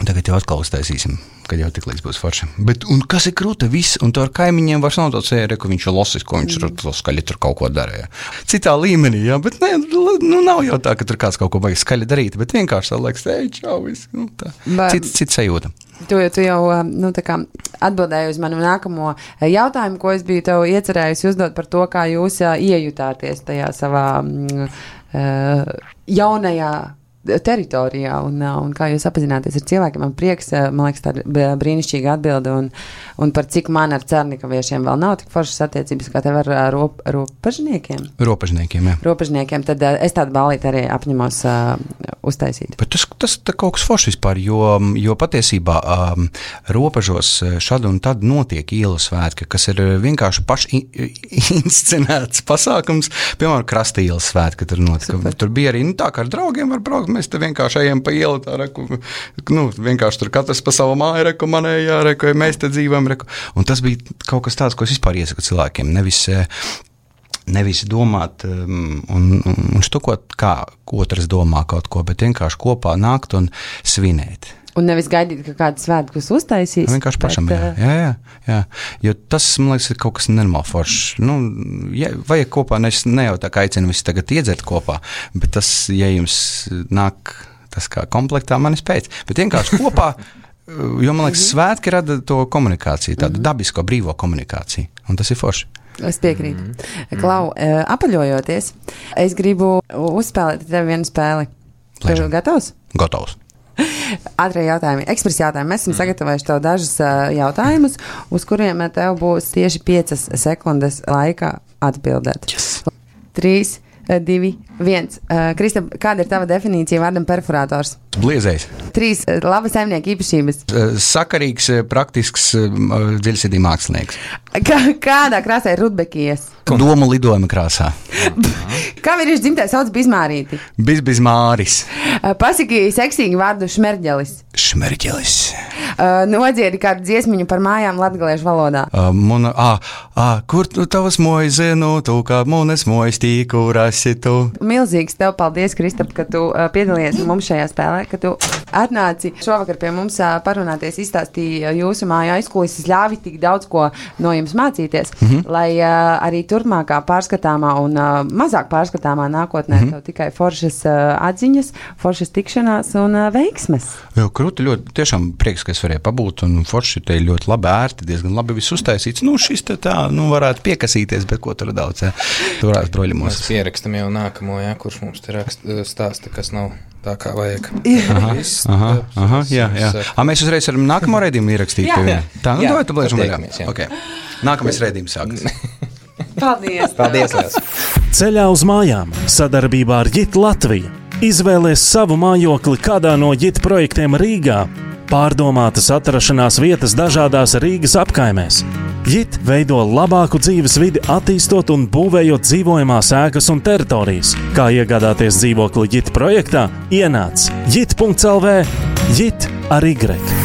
tagad jau atkal uztaisīsim, kad jau tik līdz būs forši. Bet, un kas ir krūta, viss, un to ar kaimiņiem vairs nav tāds ēre, ka viņš ir losis, ko viņš mm. tur skaļi tur kaut ko darīja. Citā līmenī, jā, bet ne, nu nav jau tā, ka tur kāds kaut ko vajag skaļi darīt, bet vienkārši tā liekas, ej, čau, viss, nu tā. Cits, cits sajūta. Tu, tu jau nu, kā, atbildēji uz manu nākamo jautājumu, ko es biju tev iecerējusi uzdot par to, kā jūs iejutāties tajā savā mm, jaunajā teritorijā un, un kā jūs apzināties ar cilvēkiem. Man prieks, man liekas, tā brīnišķīga atbilde un, un par cik man ar Cernikaviešiem vēl nav tik foršas attiecības, kā tev ar rop, ropažniekiem. Ropažniekiem, jā. Ropažniekiem, tad es tādu ballīti arī apņemos uh, uztaisīt. Bet tas, tas tā kaut kas foršs vispār, jo, jo patiesībā um, ropažos šad un tad notiek ielu svētki, kas ir vienkārši paši inscenēts pasākums, piemēram, krasta ielas svētki, tur notika. Super. Tur bija arī, nu tā kā ar draugiem var braukt, mēs te vienkārši ejam pa ielu, tā reku, nu, vienkārši tur katrs pa savu māju, reku, manējā, reku, mēs te dzīvojam, reku. Un tas bija kaut kas tāds, ko es vispār iesaku cilvēkiem, nevis, nevis domāt um, un, un štukot, kā otrs domā kaut ko, bet vienkārši kopā nākt un svinēt. Un nevis gaidīt, ka kāds svētkus uztaisīs. Vienkārši pašam, bet, jā, jā, jā, jā. Jo tas, man liekas, ir kaut kas nenormāli foršs. Nu, ja, vajag kopā, ne, ne jau tā kā aicinu visi tagad iedzert kopā, bet tas, ja jums nāk tas kā komplektā, manis pēc. Bet vienkārši kopā, jo, man liekas, svētki rada to komunikāciju, tādu dabisko, brīvo komunikāciju. Un tas ir forši. Es piekrītu. Mm. Klau, apaļojoties, es gribu uzspēlēt tev vienu spēli. Tu gatavs? Gatavs. Ātrie jautājumi, ekspresa jautājumi. Mēs esam sagatavojuši tev dažus uh, jautājumus, uz kuriem tev būs tieši piecas sekundes laika atbildēt. Yes. Trīs, divi, viens. Uh, Kristap, kāda ir tava definīcija vārdam perforātors? Bliezējs. Trīs uh, laba saimnieka īpašības. Uh, sakarīgs, praktisks, uh, dziļsirdī mākslinieks. Kā, kādā krāsā ir rudbekijas? Domu lidojuma krāsā. Kā vīrieši dzimtē sauc Bizmārīti? Bizbizmāris. Uh, pasaki seksīgi vārdu šmerģelis. Šmerģelis. Uh, nodziedi kādu dziesmiņu par mājām latgaliešu valodā. Uh, muna, ā, ā, kur tu tavas mojas zinu, tu kā munas mojas tīku rasi tu. Milzīgs tev paldies, Kristap, ka tu uh, piedalījies mums šajā spēlē, ka tu atnāci šovakar pie mums uh, parunāties, izstāstīja jūsu māju aizkulises, ļāvi tik daudz ko no jums mācīties, mm-hmm. lai uh, arī turpmākā pārskatāmā un uh, mazāk pārskatāmā nākotnē mm-hmm. tev tikai foršas uh, atziņas, foršas tikšanās un uh, veiksmes. Jā, krūti ļoti, tiešām prieks, ka es varēju pabūt, un forši te ļoti labi ērti, diezgan labi viss uztaisīts. Nu, šis te tā, nu, varētu piekasīties, bet ko tur daudz, jā, tu varētu broļumos. Mēs pierakstam jau nākamo, jā, kurš mums te rakst, stāsta, kas nav tā kā vajag. Aha, aha, aha, jā, jā. A, mēs uzreiz varam nākamo raidījumu ierakstīt. Jā, jā. Tā, nu, dod, tu blēžam vaļā. Okay. Nākamais raidījums sākas. Paldies! Paldies! Ceļā uz mājām sadarbībā ar Jit Latviju. Izvēlies savu mājokli kādā no JIT projektiem Rīgā. Pārdomātas atrašanās vietas dažādās Rīgas apkaimēs. JIT veido labāku dzīves vidi, attīstot un būvējot dzīvojamās ēkas un teritorijas. Kā iegādāties dzīvokli JIT projektā? Ienāc jit punkts el vē, JIT ar Y.